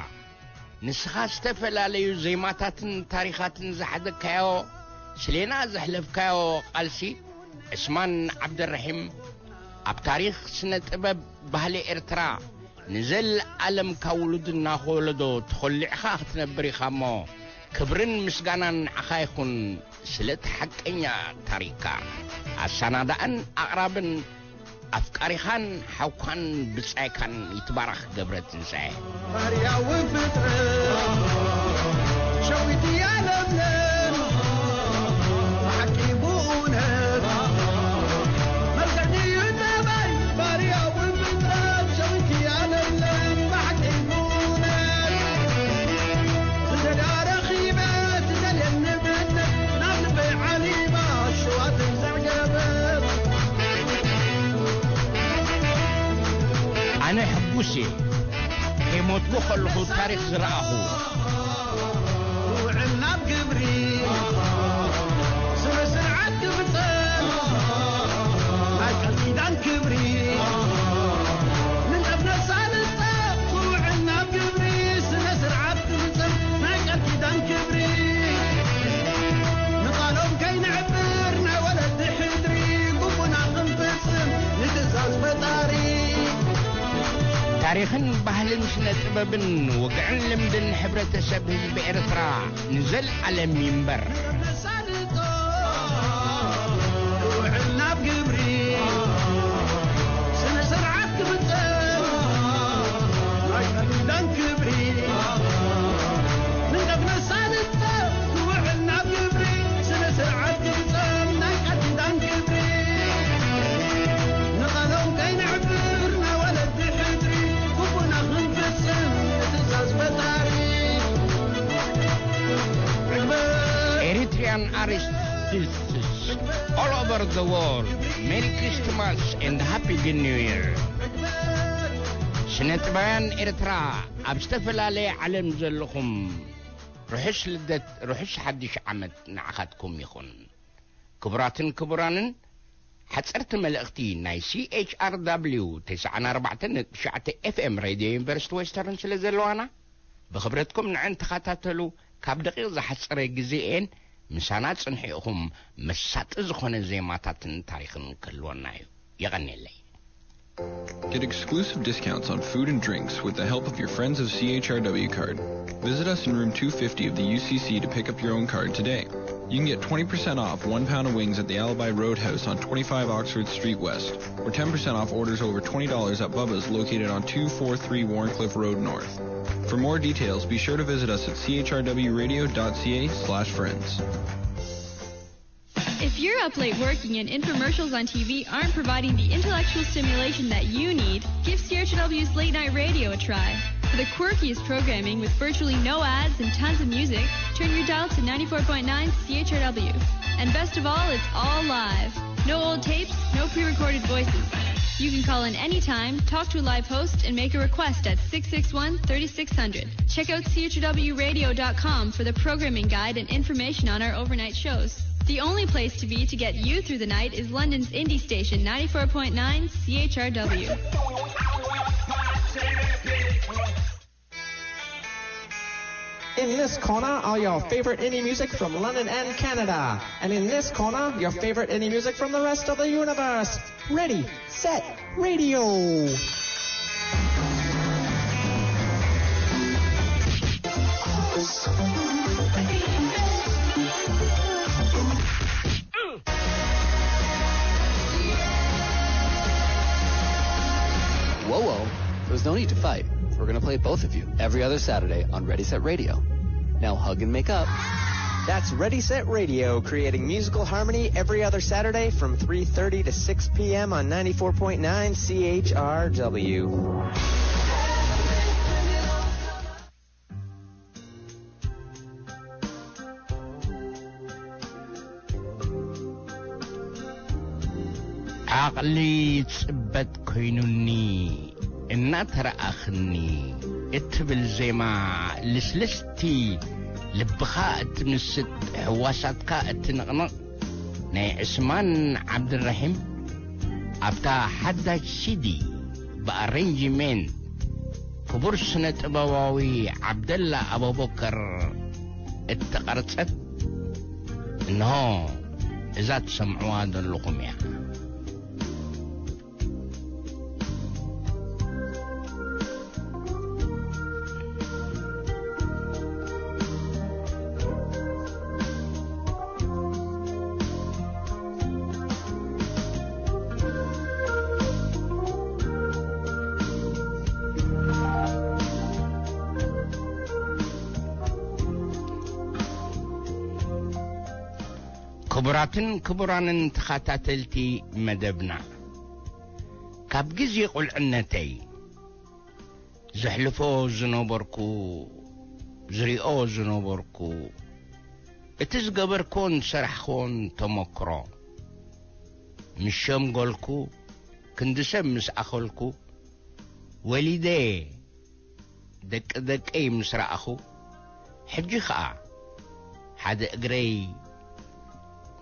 ንስኻ ዝተፈላለዩ ዜማታትን ታሪኻትን ዝሓዘካዮ፣ ስሌና ዘሕለፍካዮ ቃልሲ፣ ዕስማን ዓብደረሒም፣ ኣብ ታሪኽ ስነ ጥበብ ባህሊ ኤርትራ ንዘለኣለም ካብ ውሉድ እናኸ ወለዶ ተኾሊዕኻ ክትነብር ኢኻ እሞ፣ ክብርን ምስጋናን ንዓኻ ይኹን። ስለቲ ሓቀኛ ታሪኽካ። ኣሰናዳእን ኣቕራብን ኣፍቃሪኻን ሓውካን ብጻይካን ይትባረኽ ገብረ ትንሳኤ። ባርያዊ ፍጥረት ሸዊት እያ ለምለም፣ ብሓቂ ብእውነት መልክዕ እዩ ጠባይ። ባርያዊ ፍጥረት ሸዊት እያ ለምለም፣ ብሓቂ ብእውነት ዝደልያ ረኺበ፣ ትደልየኒ ብእምነት ናብ ልበይ ዓሊባ፣ ሽዋ ትንሳዕ ገበት። ኣነ ሕጉስ እየ፣ ከይሞትኩ ከለኹ ታሪኽ ዝረኣኹ። ውዕል ናብ ግብሪ፣ ስነ ስርዓት ክፍጸም፣ ናይ ቃል ኪዳን ክብሪ፣ ንጠፍ ነሳልጥ፣ ውዕል ናብ ግብሪ፣ ስነ ስርዓት ክፍጸም፣ ናይ ቃል ኪዳን ክብሪ። ንቓሎም ከይንዕብር፣ ናይ ወለዲ ሕድሪ፣ ግቡና ክንፍጽም፣ ንትእዛዝ ፈጣሪ። ታሪኽን ባህልን ስነ ጥበብን ወግዕን ልምድን ሕብረተሰብ ህዝቢ ኤርትራ ንዘለኣለም ይንበር። ነሳልጦ፣ ውዕል ናብ ግብሪ፣ ስነ ስርዓት ክፍጸም፣ ናይ ቃል ኪዳን ክብሪ። ንጠፍ ነሳልጦ፣ ውዕል ናብ ግብሪ፣ ስነ ስርዓት ክፍጸም፣ ናይ ቃል ኪዳን ክብሪ። ንቓሎም ከይንዕብር፣ ናይ ወለዲ ሕድሪ፣ ግቡና ክንፍጽም፣ ንትእዛዝ ፈጣሪ። Eritrean artists all over the world, Merry Christmas and Happy New Year. ስነ ጥበባውያን ኤርትራ ኣብ ዝተፈላለየ ዓለም ዘለኹም፣ ርሑስ ልደት፣ ርሑስ ሓድሽ ዓመት ንዓኻትኩም ይኹን። ክቡራትን ክቡራንን፣ ሓጸርቲ መልእኽቲ ናይ C H R W ተስዓን ኣርባዕተን ነጥቢ ትሽዓተ F M ሬድዮ ዩኒቨርሲቲ ዌስተርን ስለ ዘለዋና፣ ብኽብረትኩም ንዐን ተኸታተሉ። ካብ ደቂቕ ዝሓጸረ ግዜ እየን፣ ምሳና ጽንሑ ኢኹም። መሳጢ ዝኾነ ዜማታትን ታሪኽን ክህልወና እዩ። የቐንየለይ። Get exclusive discounts on food and drinks with the help of your friends of C H R W card. Visit us in room two fifty of the U C C to pick up your own card today. You can get twenty percent off one pound of wings at the Alibi Roadhouse on twenty-five Oxford Street West, or ten percent off orders over twenty dollars at Bubba's, located on two four three Warncliffe Road North. For more details, be sure to visit us at C H R W radio dot C A slash friends. If you're up late working and infomercials on T V aren't providing the intellectual stimulation that you need, give C H R W's late night radio a try. For the quirkiest programming with virtually no ads and tons of music, turn your dial to ninety-four point nine C H R W. And best of all, it's all live. No old tapes, no pre-recorded voices. You can call in anytime, talk to a live host, and make a request at six six one, thirty-six hundred. Check out C H W radio dot com for the programming guide and information on our overnight shows. The only place to be to get you through the night is London's indie station, ninety-four point nine C H R W. In this corner are your favorite indie music from London and Canada. And in this corner, your favorite indie music from the rest of the universe. Ready, set, radio. Whoa, whoa. There's no need to fight. We're going to play both of you every other Saturday on Ready Set Radio. Now hug and make up. That's Ready Set Radio, creating musical harmony every other Saturday from three thirty to six p.m. on ninety-four point nine C H R W. ዓቕሊ ጽበት ኮይኑኒ እናተረኣኽኒ እትብል ዜማ ልስልስቲ፣ ልብኻ እትምስጥ፣ ሕዋሳትካ እትንቕንቕ ናይ ዕስማን ዓብድራሂም ኣብታ ሓዳሽ ሲዲ ብኣሬንጅሜንት ክቡር ስነ ጥበባዊ ዓብደላ ኣቡበከር እተቐርጸት እንሆ እዛ ትሰምዕዋ ዘለኹም እያ። ክቡራትን ክቡራንን ተኸታተልቲ መደብና፣ ካብ ግዜ ቁልዕነተይ ዘሕልፎ ዝነበርኩ፣ ዝሪኦ ዝነበርኩ፣ እቲ ዝገበርኩን ዝሰራሕኩን ተመክሮ፣ ምስ ሸምገልኩ፣ ክንዲ ሰብ ምስ ኣኸልኩ፣ ወሊደ ደቂ ደቀይ ምስ ረኣኹ፣ ሕጂ ኸኣ ሓደ እግረይ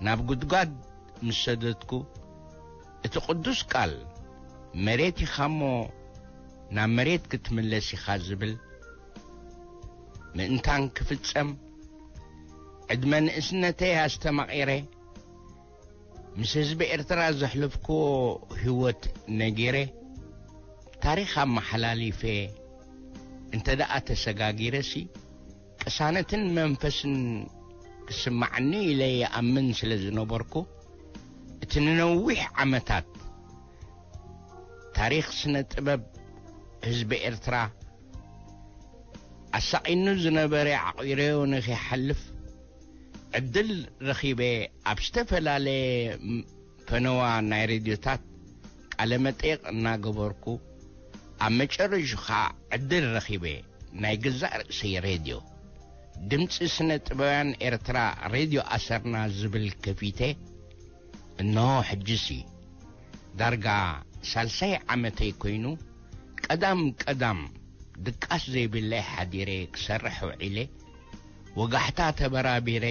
ናብ ጉድጓድ ምስ ሰደድኩ፣ እቲ ቅዱስ ቃል፣ መሬት ኢኻ እሞ ናብ መሬት ክትምለስ ኢኻ ዝብል ምእንታን ክፍጸም፣ ዕድመ ንእስነተይ ኣስተማቒረ፣ ምስ ህዝቢ ኤርትራ ዘሕለፍክዎ ህይወት ነጊረ፣ ታሪኽ ኣመሓላሊፈ እንተ ደኣ ተሰጋጊረሲ፣ ቅሳነትን መንፈስን ክስማዓኒ ኢለ ይኣምን ስለ ዝነበርኩ፣ እቲ ንነዊሕ ዓመታት ታሪኽ ስነ ጥበብ ህዝቢ ኤርትራ ኣሳቒኑ ዝነበረ ዓቒረዮ ንኺሓልፍ ዕድል ረኺበ ኣብ ዝተፈላለየ ፈነዋ ናይ ሬድዮታት ቃለ መጠይቕ እናገበርኩ፣ ኣብ መጨረሹ ኸኣ ዕድል ረኺበ ናይ ገዛእ ርእሰይ ሬድዮ፣ ድምጺ ስነ ጥበባውያን ኤርትራ፣ ሬድዮ ኣሰርና ዝብል ከፊተ። እንሆ ሕጂሲ ዳርጋ ሳልሳይ ዓመተይ ኮይኑ፣ ቀዳም ቀዳም ድቃስ ዘይብለይ ሓዲረ ክሰርሕ ውዒለ። ወጋሕታ ተበራቢረ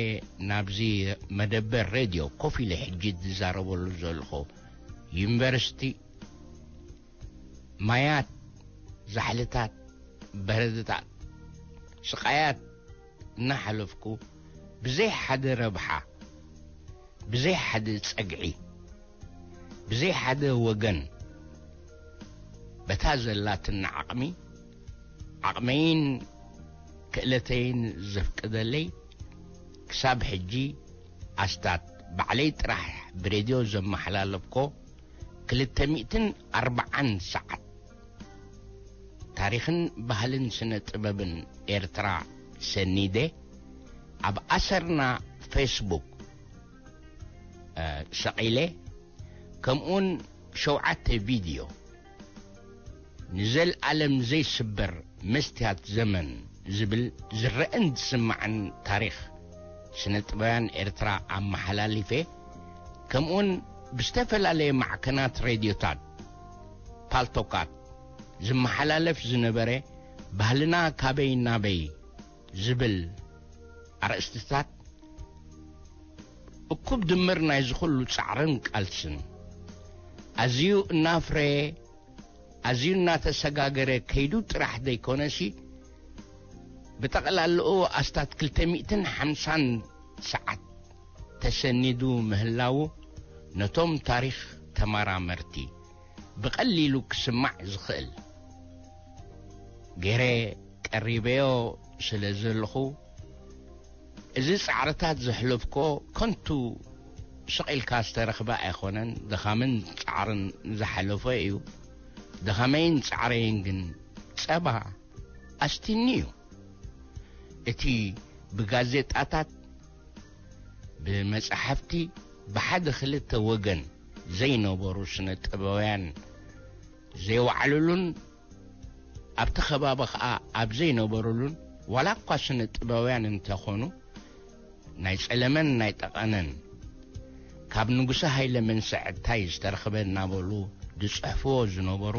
ናብዚ መደበር ሬድዮ ኮፍ ኢለ ሕጂ ዝዛረበሉ ዘለኹ ዩኒቨርሲቲ ማያት፣ ዛሕልታት፣ በረድታት፣ ስቓያት እናሓለፍኩ ብዘይ ሓደ ረብሓ፣ ብዘይ ሓደ ጸግዒ፣ ብዘይ ሓደ ወገን፣ በታ ዘላትና ዓቕሚ፣ ዓቕመይን ክእለተይን ዘፍቅደለይ፣ ክሳብ ሕጂ ኣስታት ባዕለይ ጥራሕ ብሬድዮ ዘመሓላለፍኮ ክልተ ሚእትን ኣርባዓን ሰዓት ታሪኽን ባህልን ስነ ጥበብን ኤርትራ ሰኒደ ኣብ ኣሰርና ፌስቡክ ሰቒለ፣ ከምኡውን ሸውዓተ ቪድዮ ንዘልኣለም ዘይስበር መስትያት ዘመን ዝብል ዝረአን ዝስማዕን ታሪኽ ስነ ጥበብያን ኤርትራ ኣመሓላሊፈ፣ ከምኡውን ብዝተፈላለየ ማዕከናት ሬድዮታት ፓልቶካት ዝመሓላለፍ ዝነበረ ባህልና ካበይ ናበይ ዝብል ኣርእስትታት እኩብ ድምር ናይ ዝኹሉ ጻዕርን ቃልስን ኣዝዩ እናፍረየ ኣዝዩ እናተሰጋገረ ከይዱ ጥራሕ ዘይኮነሲ ብጠቕላላኡ ኣስታት ክልተ ሚእትን ሓምሳን ሰዓት ተሰኒዱ ምህላዉ ነቶም ታሪኽ ተመራመርቲ ብቐሊሉ ክስማዕ ዝኽእል ገይረ ቀሪበዮ ስለ ዘለኹ፣ እዚ ጻዕርታት ዘሕለፍኮ ከንቱ ስቕ ኢልካ ዝተረኽበ ኣይኮነን፣ ድኻምን ጻዕርን ዝሓለፎ እዩ። ድኻመይን ጻዕረይን ግን ጸባ ኣስቲኒ እዩ። እቲ ብጋዜጣታት፣ ብመጻሕፍቲ፣ ብሓደ ክልተ ወገን ዘይነበሩ ስነ ጥበባውያን ዘይወዓሉሉን ኣብቲ ከባቢ ኸኣ ኣብ ዘይነበሩሉን ዋላ እኳ ስነ ጥበባውያን እንተኾኑ ናይ ጸለመን ናይ ጠቐነን ካብ ንጉሰ ሃይለ መንሰዕታይ ዝተረኽበ እናበሉ ዝጽሕፍዎ ዝነበሩ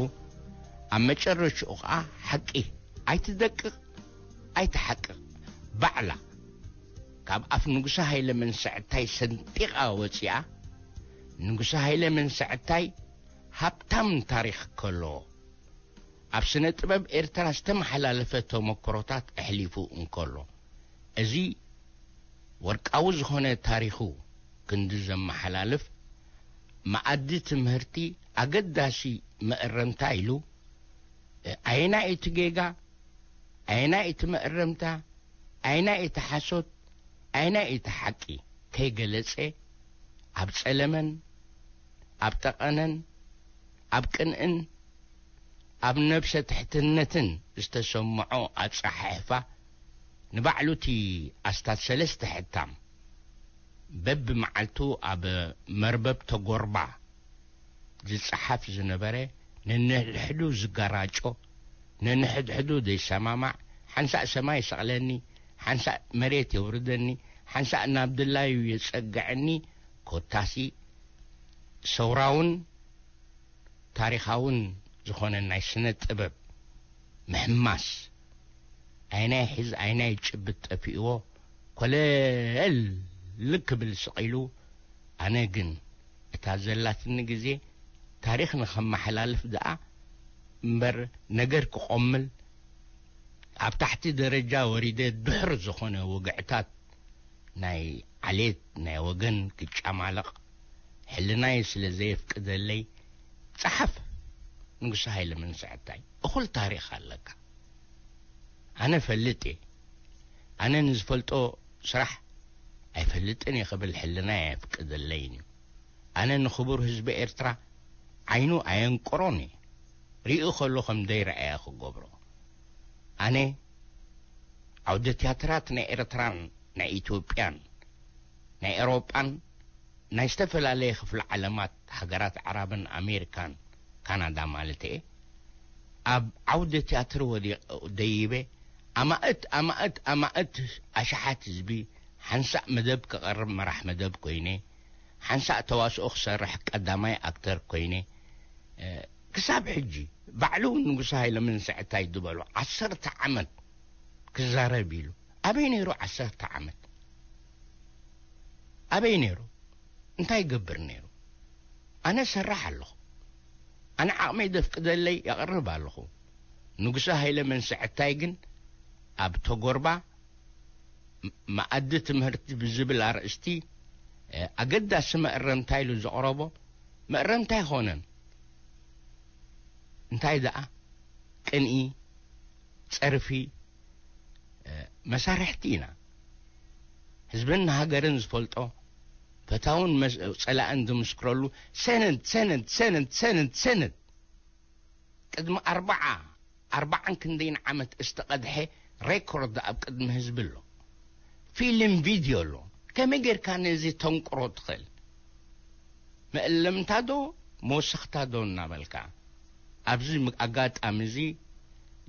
ኣብ መጨረሽኡ ኸኣ ሓቂ ኣይትደቅቕ ኣይትሓቅቕ ባዕላ ካብ ኣፍ ንጉሰ ሃይለ መንሰዕታይ ሰንጢቓ ወጺኣ ንጉሰ ሃይለ መንሰዕታይ ሃብታም ታሪኽ ከሎ ኣብ ስነ ጥበብ ኤርትራ ዝተመሓላለፈ ተመክሮታት ኣሕሊፉ እንከሎ እዚ ወርቃዊ ዝኾነ ታሪኹ ክንዲ ዘመሓላልፍ መኣዲ ትምህርቲ ኣገዳሲ መእረምታ ኢሉ ኣየናይ እቲ ጌጋ ኣየናይ እቲ መእረምታ ኣየናይ እቲ ሓሶት ኣየናይ እቲ ሓቂ ከይገለጸ ኣብ ጸለመን ኣብ ጠቐነን ኣብ ቅንእን ኣብ ነብሰ ትሕትነትን ዝተሰምዖ ኣጸሓሕፋ ንባዕሉ እቲ ኣስታት ሰለስተ ሕታም በብመዓልቱ ኣብ መርበብ ተጎርባ ዝጸሓፍ ዝነበረ ነንሕድሕዱ ዝጋራጮ ነንሕድሕዱ ዘይሰማማዕ ሓንሳእ ሰማይ ይሰቕለኒ ሓንሳእ መሬት የውርደኒ ሓንሳእ ናብ ድላዩ የጸግዐኒ ኮታሲ ሰውራውን ታሪኻውን ዝኾነ ናይ ስነ ጥበብ ምሕማስ ኣይናይ ሒዝ ኣይናይ ጭብጥ ጠፊእዎ ኮለል ክብል ስቕ ኢሉ ኣነ ግን እታ ዘላትኒ ግዜ ታሪኽ ንኸመሓላልፍ ደኣ እምበር ነገር ክቖምል ኣብ ታሕቲ ደረጃ ወሪደ ድሑር ዝኾነ ወግዕታት ናይ ዓሌት ናይ ወገን ክጫማለቕ ሕልናይ ስለ ዘየፍቅደለይ ጸሓፍ ንጉሰ ሃይለ መንስዕታይ እኹል ታሪኽ ኣለካ ኣነ ፈልጥ እየ ኣነ ንዝፈልጦ ስራሕ ኣይፈልጥን እየ ክብል ሕልናይ ኣየፍቅደለይን እዩ ኣነ ንኽቡር ህዝቢ ኤርትራ ዓይኑ ኣየንቅሮን እየ ርእዩ ከሎ ከም ደይረኣየ ክገብሮ ኣነ ዓውደ ትያትራት ናይ ኤርትራን ናይ ኢትዮጵያን ናይ ኤሮጳን ናይ ዝተፈላለየ ክፍለ ዓለማት ሃገራት ዓራብን ኣሜሪካን ካናዳ ማለት እየ ኣብ ዓውደ ትያትር ወዲቕ ደይበ ኣማእት ኣማእት ኣማእት ኣሽሓት ህዝቢ ሓንሳእ መደብ ክቐርብ መራሕ መደብ ኮይነ ሓንሳእ ተዋስኦ ክሰርሕ ቀዳማይ ኣክተር ኮይነ ክሳብ ሕጂ ባዕሉ ንጉሰ ሃይለ መንስዕታይ ዝበሎ ዓሰርተ ዓመት ክዛረብ ኢሉ ኣበይ ነይሩ ዓሰርተ ዓመት ኣበይ ነይሩ እንታይ ይገብር ነይሩ ኣነ ሰራሕ ኣለኹ ኣነ ዓቕመይ ደፍቅደለይ የቕርብ ኣለኹ ንጉሰ ሃይለ መንስዕታይ ግን ኣብ ተጎርባ መኣዲ ትምህርቲ ብዝብል ኣርእስቲ ኣገዳሲ መእረምታ ኢሉ ዘቕረቦ መእረምታ ኣይኾነን እንታይ ደኣ ቅንኢ ጸርፊ መሳርሕቲ ኢና ህዝብን ሃገርን ዝፈልጦ ፈታውን ጸላእን ዝምስክረሉ ሰነድ ሰነድ ሰነድ ሰነድ ሰነድ ቅድሚ ኣርባዓ ኣርባዓን ክንደይን ዓመት ዝተቐድሐ ሬኮርድ ኣብ ቅድሚ ህዝቢ ኣሎ ፊልም ቪድዮ ኣሎ ከመይ ጌርካ ነዚ ተንቅሮ ትኽእል መእለምታ ዶ መወሰኽታ ዶ እናበልካ ኣብዚ ኣጋጣሚ እዚ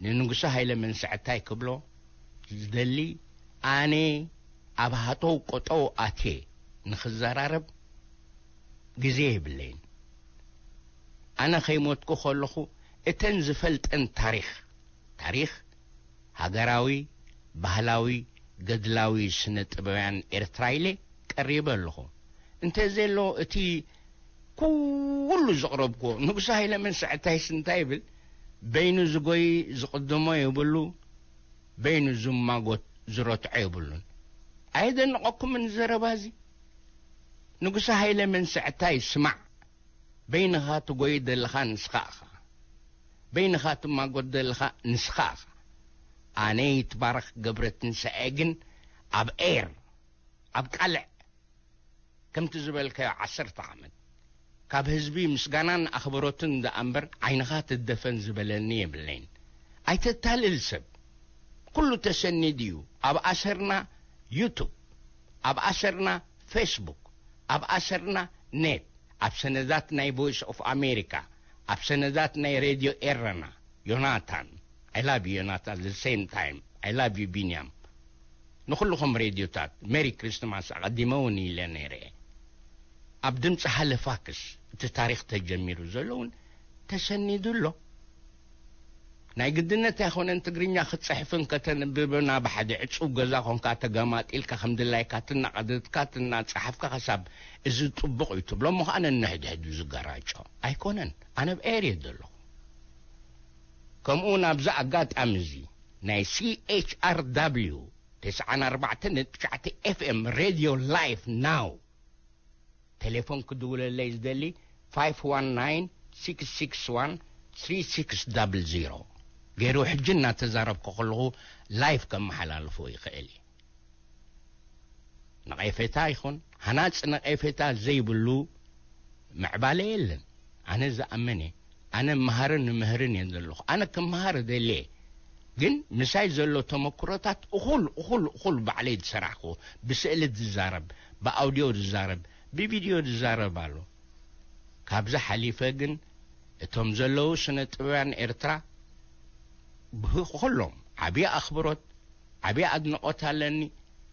ንንጉሰ ሃይለ መንስዕታይ ክብሎ ዝደሊ ኣነ ኣብ ሃጠው ቆጠው ኣትየ ንኽዘራረብ ግዜ የብለይን ኣነ ከይሞትኩ ከለኹ እተን ዝፈልጠን ታሪኽ፣ ታሪኽ ሃገራዊ፣ ባህላዊ፣ ገድላዊ ስነ ጥበባውያን ኤርትራ ኢለ ቀሪበ ኣለኹ። እንተ ዘሎ እቲ ኩሉ ዘቕረብኩዎ፣ ንጉሰ ሃይለ መንስዕታይስ እንታይ ይብል? በይኑ ዝጎይ ዝቕድሞ የብሉ፣ በይኑ ዝማጎት ዝረትዖ የብሉን። ኣየደንቐኩምን ዘረባ እዚ? ንጉሰ ሃይለ መንስዕታይ ስማዕ፣ በይንኻ ትጎይ ዘለኻ ንስኻ ኢኻ። በይንኻ ትማጎት ዘለኻ ንስኻ ኢኻ። ኣነ ይትባረኽ ገብረትንሳኤ ግን ኣብ ኤር፣ ኣብ ቃልዕ፣ ከምቲ ዝበልካዮ ዓሰርተ ዓመት ካብ ህዝቢ ምስጋናን ኣኽብሮትን ደኣ እምበር ዓይንኻ ትደፈን ዝበለኒ የብለይን። ኣይተታልል ሰብ። ኩሉ ተሰኒዱ እዩ። ኣብ ኣሰርና ዩቱብ፣ ኣብ ኣሰርና ፌስቡክ፣ ኣብ ኣሰርና ኔት፣ ኣብ ሰነዳት ናይ ቮይስ ኦፍ ኣሜሪካ፣ ኣብ ሰነዳት ናይ ሬድዮ ኤረና። ዮናታን፣ I love you ዮናታን፣ the same time I love you ቢንያም። ንኹልኹም ሬድዮታት ሜሪ ክሪስትማስ ኣቐዲመ እውን ኢለ ነይረ። ኣብ ድምፂ ሃለፋክስ እቲ ታሪኽ ተጀሚሩ ዘሎ እውን ተሰኒዱ ኣሎ። ናይ ግድነት ኣይኮነን ትግርኛ ክትፅሕፍን ከተንብብን ኣብ ሓደ ዕፁብ ገዛ ኮንካ ተገማጢልካ ከም ድላይካ ትናቐደድካ ትናፀሓፍካ ክሳብ እዚ ጥቡቕ እዩ ትብሎ እሞ ከዓ ነንሕድሕዱ ዝገራጮ ኣይኮነን። ኣነ ብኤር እየ ዘለኹ። ከምኡ እውን ኣብዚ ኣጋጣሚ እዚ ናይ C H R W ተስዓን ኣርባዕተን ነጥቢ ትሽዓተ ኤፍ ኤም ሬድዮ ላይፍ ናው ቴሌፎን ክድውለለይ ዝደሊ ፋይፍ ዋን ናይን ሲክስ ሲክስ ዋን ስሪ ሲክስ ዳብል ዜሮ ገይሩ ሕጂ እናተዛረብኩ ከለኹ ላይፍ ከመሓላልፎ ይኽእል እዩ። ነቐፌታ ይኹን ሃናፂ ነቐፌታ ዘይብሉ ምዕባለ የለን። ኣነ ዝኣመነ፣ ኣነ መሃርን ንምህርን እየ ዘለኹ። ኣነ ክመሃር እደልየ፣ ግን ምሳይ ዘሎ ተመክሮታት እኹል እኹል እኹል ባዕለይ ዝሰራሕኩ፣ ብስእሊ ዝዛረብ፣ ብኣውድዮ ዝዛረብ፣ ብቪድዮ ዝዛረብ ኣሎ። ካብዚ ሓሊፈ ግን እቶም ዘለዉ ስነ ጥበብያን ኤርትራ ብኩሎም ዓብዪ ኣኽብሮት፣ ዓብዪ ኣድንቖት ኣለኒ።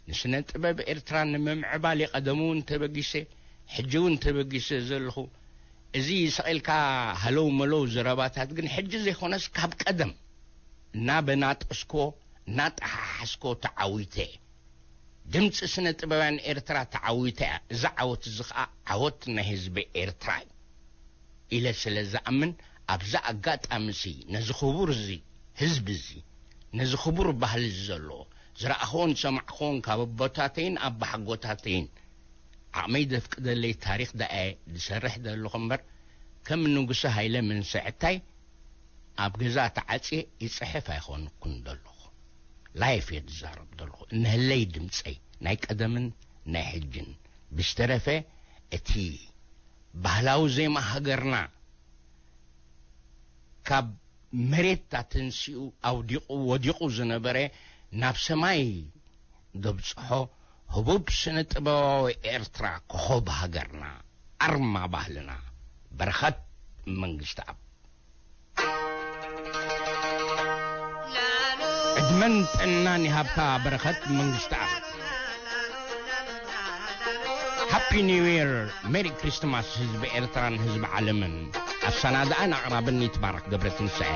ንስነ ጥበብ ኤርትራ ንምምዕባል ቀደሙ እውን ተበጊሰ፣ ሕጂ እውን ተበጊሰ ዘለኹ። እዚ ስቕ ኢልካ ሃለው መለው ዘረባታት ግን ሕጂ ዘይኮነስ ካብ ቀደም እናበናጠስኮ እናጠሓሓስኮ ተዓዊተ። ድምፂ ስነ ጥበብያን ኤርትራ ተዓዊታ እያ። እዚ ዓወት እዚ ኸዓ ዓወት ናይ ህዝቢ ኤርትራ እዩ ኢለ ስለ ዝኣምን፣ ኣብዚ ኣጋጣሚ እዚ ነዚ ክቡር እዚ ህዝቢ እዚ፣ ነዚ ክቡር ባህሊ እዚ ዘለዎ ዝረኣኽዎን ዝሰማዕኽዎን ካብ ኣቦታተይን ኣባሓጎታተይን ዓቕመይ ዘፍቅደለይ ታሪኽ ደኣ እየ ዝሰርሕ ዘለኹ እምበር፣ ከም ንጉሰ ሃይለ መንስዕታይ ኣብ ገዛ ተዓጽየ ይጽሕፍ ኣይኾንኩን ዘለኹ። ላይፍ እየ ዝዛረብ ዘለኹ። እንህለይ ድምጸይ ናይ ቀደምን ናይ ሕጅን ብዝተረፈ እቲ ባህላዊ ዜማ ሃገርና ካብ መሬት ኣተንሲኡ ኣውዲቑ ወዲቑ ዝነበረ ናብ ሰማይ ዘብጽሖ ህቡብ ስነ ጥበባዊ ኤርትራ ኮኾብ ሃገርና ኣርማ ባህልና በረኸት መንግስትኣብ። ዕድመን ጥዕናን ይሃብካ በረኸት መንግስትኣብ። ሃፒ ኒው ይር፣ ሜሪ ክሪስትማስ ህዝቢ ኤርትራን ህዝቢ ዓለምን። ኣሰናድኣን ኣቕራብን ይትባረክ ገብረትንሳኤ።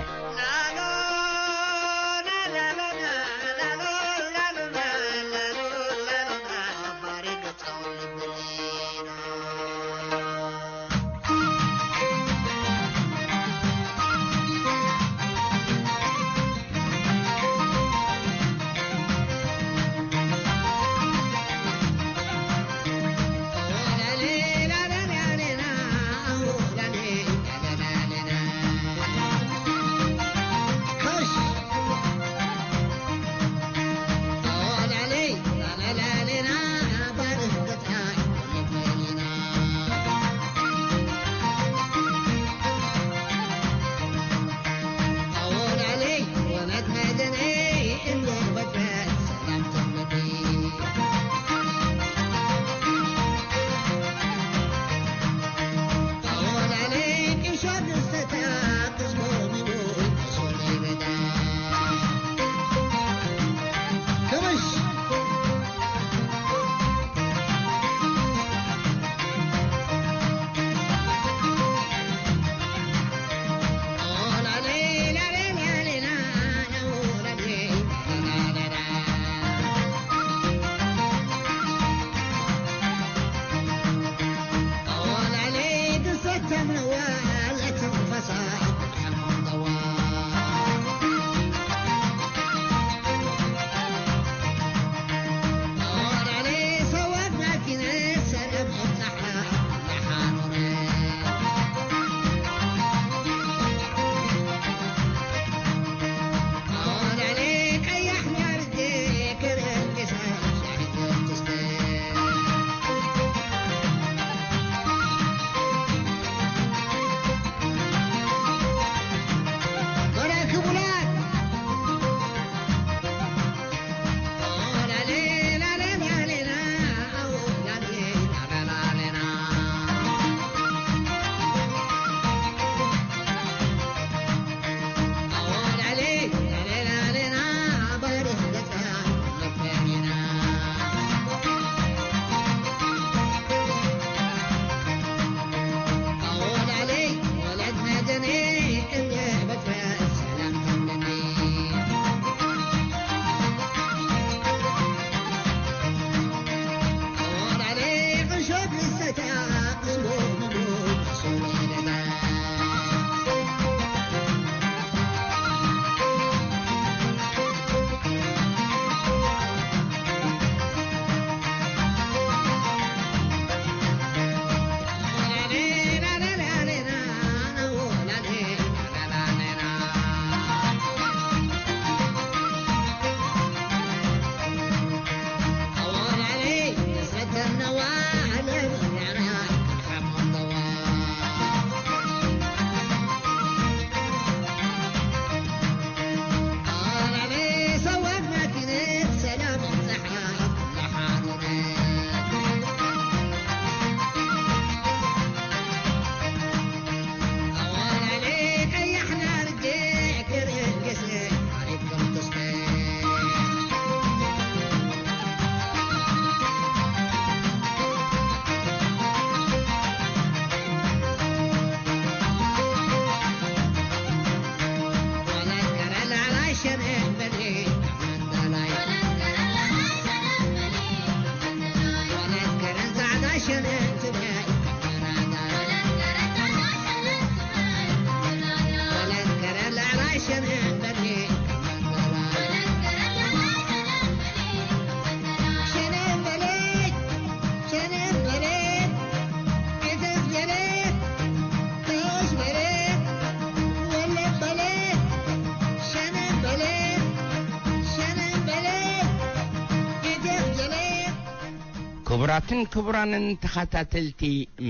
ክቡራትን ክቡራንን ተኸታተልቲ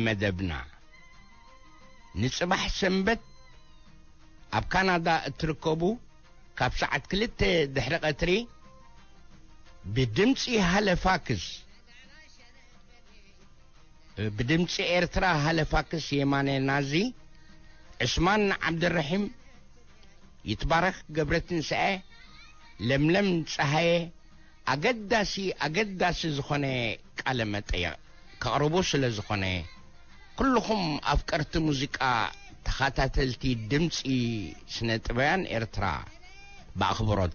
መደብና፣ ንጽባሕ ሰንበት ኣብ ካናዳ እትርከቡ፣ ካብ ሰዓት ክልተ ድሕሪ ቀትሪ ብድምጺ ሃለፋክስ፣ ብድምጺ ኤርትራ ሃለፋክስ የማነ ናዚ፣ ዕስማን ዓብደረሒም፣ ይትባረክ ገብረትንሳኤ፣ ለምለም ጸሃየ፣ ኣገዳሲ፣ ኣገዳሲ ዝኾነ ቃለ መጠይቕ ከቕርቡ ስለ ዝኾነ፣ ኩልኹም ኣፍቀርቲ ሙዚቃ፣ ተኸታተልቲ ድምጺ ስነ ጥበብያን ኤርትራ ብኣኽብሮት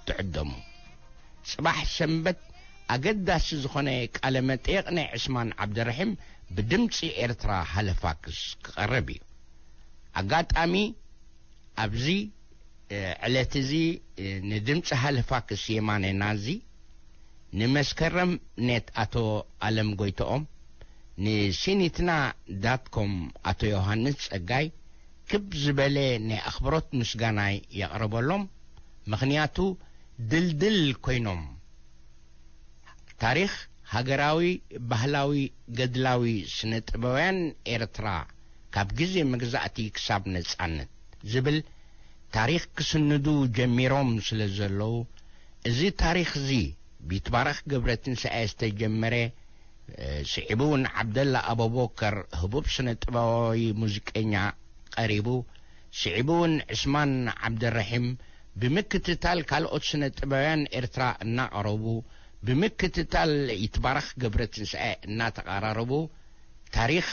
ትዕደሙ። ጽባሕ ሰንበት ኣገዳሲ ዝኾነ ቃለ መጠይቕ ናይ ዕስማን ዓብደረሒም ብድምጺ ኤርትራ ሃለፋክስ ክቐርብ እዩ። ኣጋጣሚ ኣብዚ፣ እ፣ ዕለት እዚ፣ እ፣ ንድምጺ ሃለፋክስ የማነ ናዚ፣ ንመስከረም ኔት ኣቶ ኣለም ጎይትኦም፣ ንሲኒትና ዳት ኮም ኣቶ ዮሃንስ ጸጋይ፣ ክብ ዝበለ ናይ ኣኽብሮት ምስጋናይ የቕርበሎም። ምኽንያቱ ድልድል ኮይኖም ታሪኽ ሃገራዊ፣ ባህላዊ፣ ገድላዊ ስነ ጥበባውያን ኤርትራ ካብ ግዜ መግዛእቲ ክሳብ ነጻነት ዝብል ታሪኽ ክስንዱ ጀሚሮም ስለ ዘለዉ፣ እዚ ታሪኽ እዚ ብይትባረኽ ገብረትንሳኤ ዝተጀመረ፣ እ፣ ስዒቡ እውን ዓብደላ ኣበቦከር ህቡብ ስነ ጥበባዊ ሙዚቀኛ ቀሪቡ፣ ስዒቡ እውን ዕስማን ዓብደረሒም ብምክትታል ካልኦት ስነ ጥበባውያን ኤርትራ እናቐረቡ፣ ብምክትታል ይትባረኽ ገብረትንሳኤ እናተቐራረቡ፣ ታሪኽ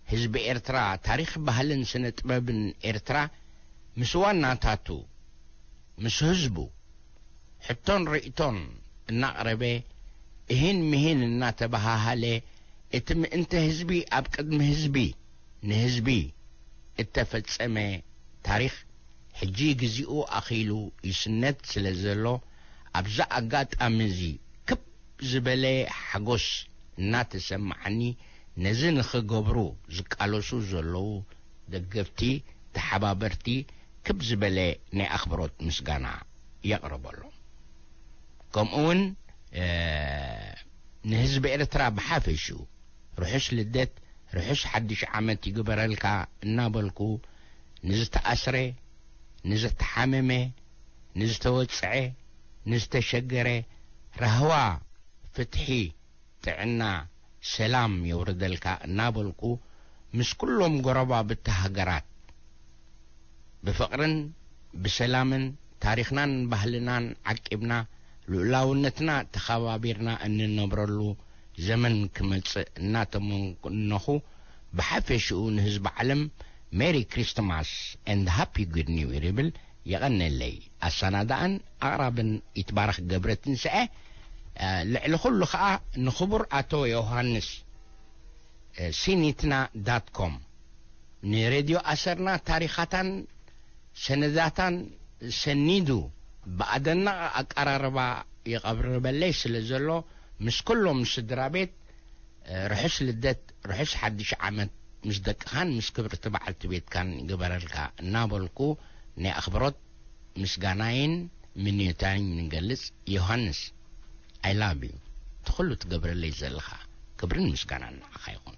ህዝቢ ኤርትራ፣ ታሪኽ ባህልን ስነ ጥበብን ኤርትራ ምስ ዋናታቱ፣ ምስ ህዝቡ፣ ሕቶን ርእይቶን እናቕረበ፣ እሂን ምሂን እናተበሃሃለ፣ እቲ ምእንተ ህዝቢ ኣብ ቅድሚ ህዝቢ፣ ንህዝቢ፣ እተፈጸመ ታሪኽ ሕጂ ግዜኡ ኣኺሉ ይስነድ ስለ ዘሎ፣ ኣብዛ ኣጋጣሚ እዚ ክብ ዝበለ ሓጎስ እናተሰማዓኒ፣ ነዚ ንኽገብሩ ዝቃለሱ ዘለዉ ደገፍቲ፣ ተሓባበርቲ፣ ክብ ዝበለ ናይ ኣኽብሮት ምስጋና የቕርበሎም። ከምኡ እውን፣ እ፣ ንህዝቢ ኤርትራ ብሓፈሽኡ ርሑስ ልደት፣ ርሑስ ሓድሽ ዓመት ይግበረልካ እናበልኩ፣ ንዝተኣስረ፣ ንዝተሓመመ፣ ንዝተወጽዐ፣ ንዝተሸገረ ራህዋ፣ ፍትሒ፣ ጥዕና፣ ሰላም የውርደልካ እናበልኩ፣ ምስ ኩሎም ጎረባብቲ ሃገራት ብፍቕርን ብሰላምን ታሪኽናን ባህልናን ዓቂብና፣ ልኡላውነትና ተኸባቢርና እንነብረሉ ዘመን ክመጽእ እናተመነኹ፣ ብሓፈሽኡ ንህዝቢ ዓለም ሜሪ ክሪስትማስ ኤንድ ሃፒ ጉድ ኒው ይር ይብል። የቐነለይ። ኣሰናዳእን ኣቕራብን ይትባረኽ ገብረ ትንስኤ። እ፣ ልዕሊ ኩሉ ኸኣ ንኽቡር ኣቶ ዮሃንስ፣ እ፣ ሲኒትና ዳት ኮም፣ ንሬድዮ ኣሰርና ታሪኻታን ሰነዳታን ሰኒዱ ብኣደናቒ ኣቀራርባ ይቐርበለይ ስለ ዘሎ፣ ምስ ኩሎም ስድራ ቤት፣ እ፣ ርሑስ ልደት፣ ርሑስ ሓድሽ ዓመት ምስ ደቅኻን ምስ ክብርቲ በዓልቲ ቤትካን ይግበረልካ እናበልኩ፣ ናይ ኣኽብሮት ምስጋናይን ምንዮታይን ንገልጽ። ዮሃንስ፣ I love you። እቲ ኩሉ ትገብረለይ ዘለኻ ክብርን ምስጋናን ንዓኻ ይኹን።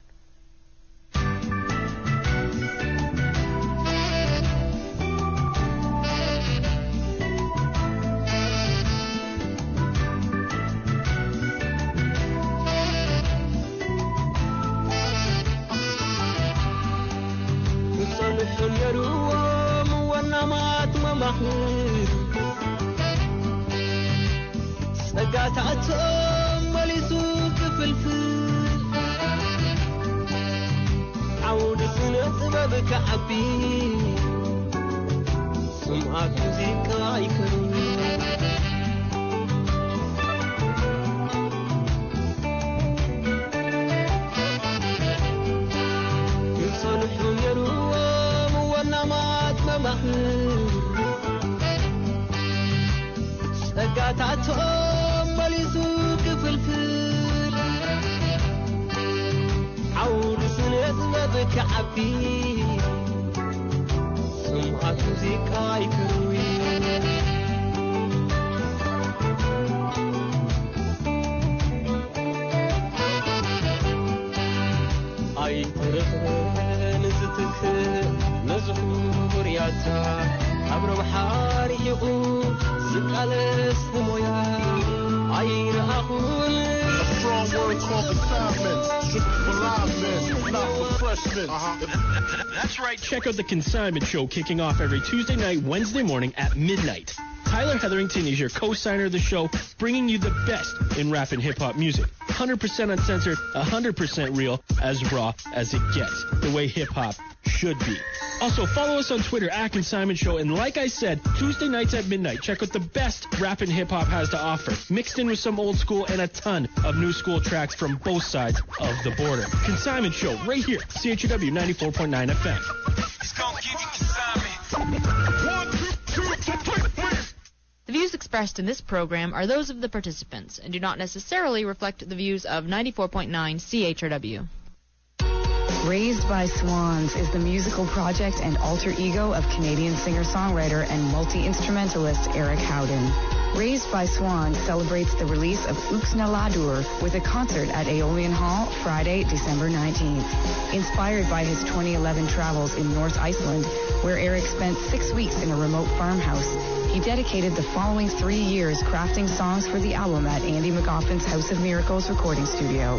ክጸንሑ ነይርዎም ወናማት መማኽር፣ ጸጋታቶም መሊሱ ክፍልፍል፣ ዓውዲ ስነ ጥበብ ክዓቢ፣ ስምዓት ሙዚቃ ይከሩ። ክጸንሑ ነይርዎም ወናማት መማኽር፣ ጸጋታቶም መሊሱ ክፍልፍል፣ ዓውዲ ስነ ጥበብ ክዓቢ፣ ስምዓት ሙዚቃ ይከርዊ። ኣይትረኽበን ዝትክእ ነዚ ኩቡር ያታ፣ ኣብ ረብሓ ርሒቑ ዝቃለስ ንሞያ ኣይረኣኹን። A strong word called consignment. Strictly for live men, not for fresh men. That's right. Check out the Consignment Show, kicking off every Tuesday night, Wednesday morning at midnight. Tyler Hetherington is your co-signer of the show, bringing you the best in rap and hip hop music. Hundred percent uncensored, a hundred percent real, as raw as it gets. The way hip hop should be. Also, follow us on Twitter at Consignment Show. And like I said, Tuesday nights at midnight, check out the best rap and hip hop has to offer, mixed in with some old school and a ton of new school tracks from both sides of the border. Consignment Show, right here, C H U W ninety-four point nine F M. It's gonna give you consignment. One, two, two, three, three. The views expressed in this program are those of the participants and do not necessarily reflect the views of ninety-four point nine C H R W. Raised by Swans is the musical project and alter ego of Canadian singer-songwriter and multi-instrumentalist Eric Howden. Raised by Swans celebrates the release of Uksna Ladur with a concert at Aeolian Hall Friday, December nineteenth. Inspired by his twenty eleven travels in North Iceland, where Eric spent six weeks in a remote farmhouse, he dedicated the following three years crafting songs for the album at Andy McGoffin's House of Miracles recording studio.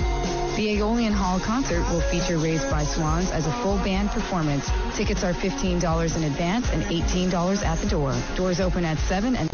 The Aeolian Hall concert will feature Raised by Swans as a full band performance. Tickets are fifteen dollars in advance and eighteen dollars at the door. Doors open at seven and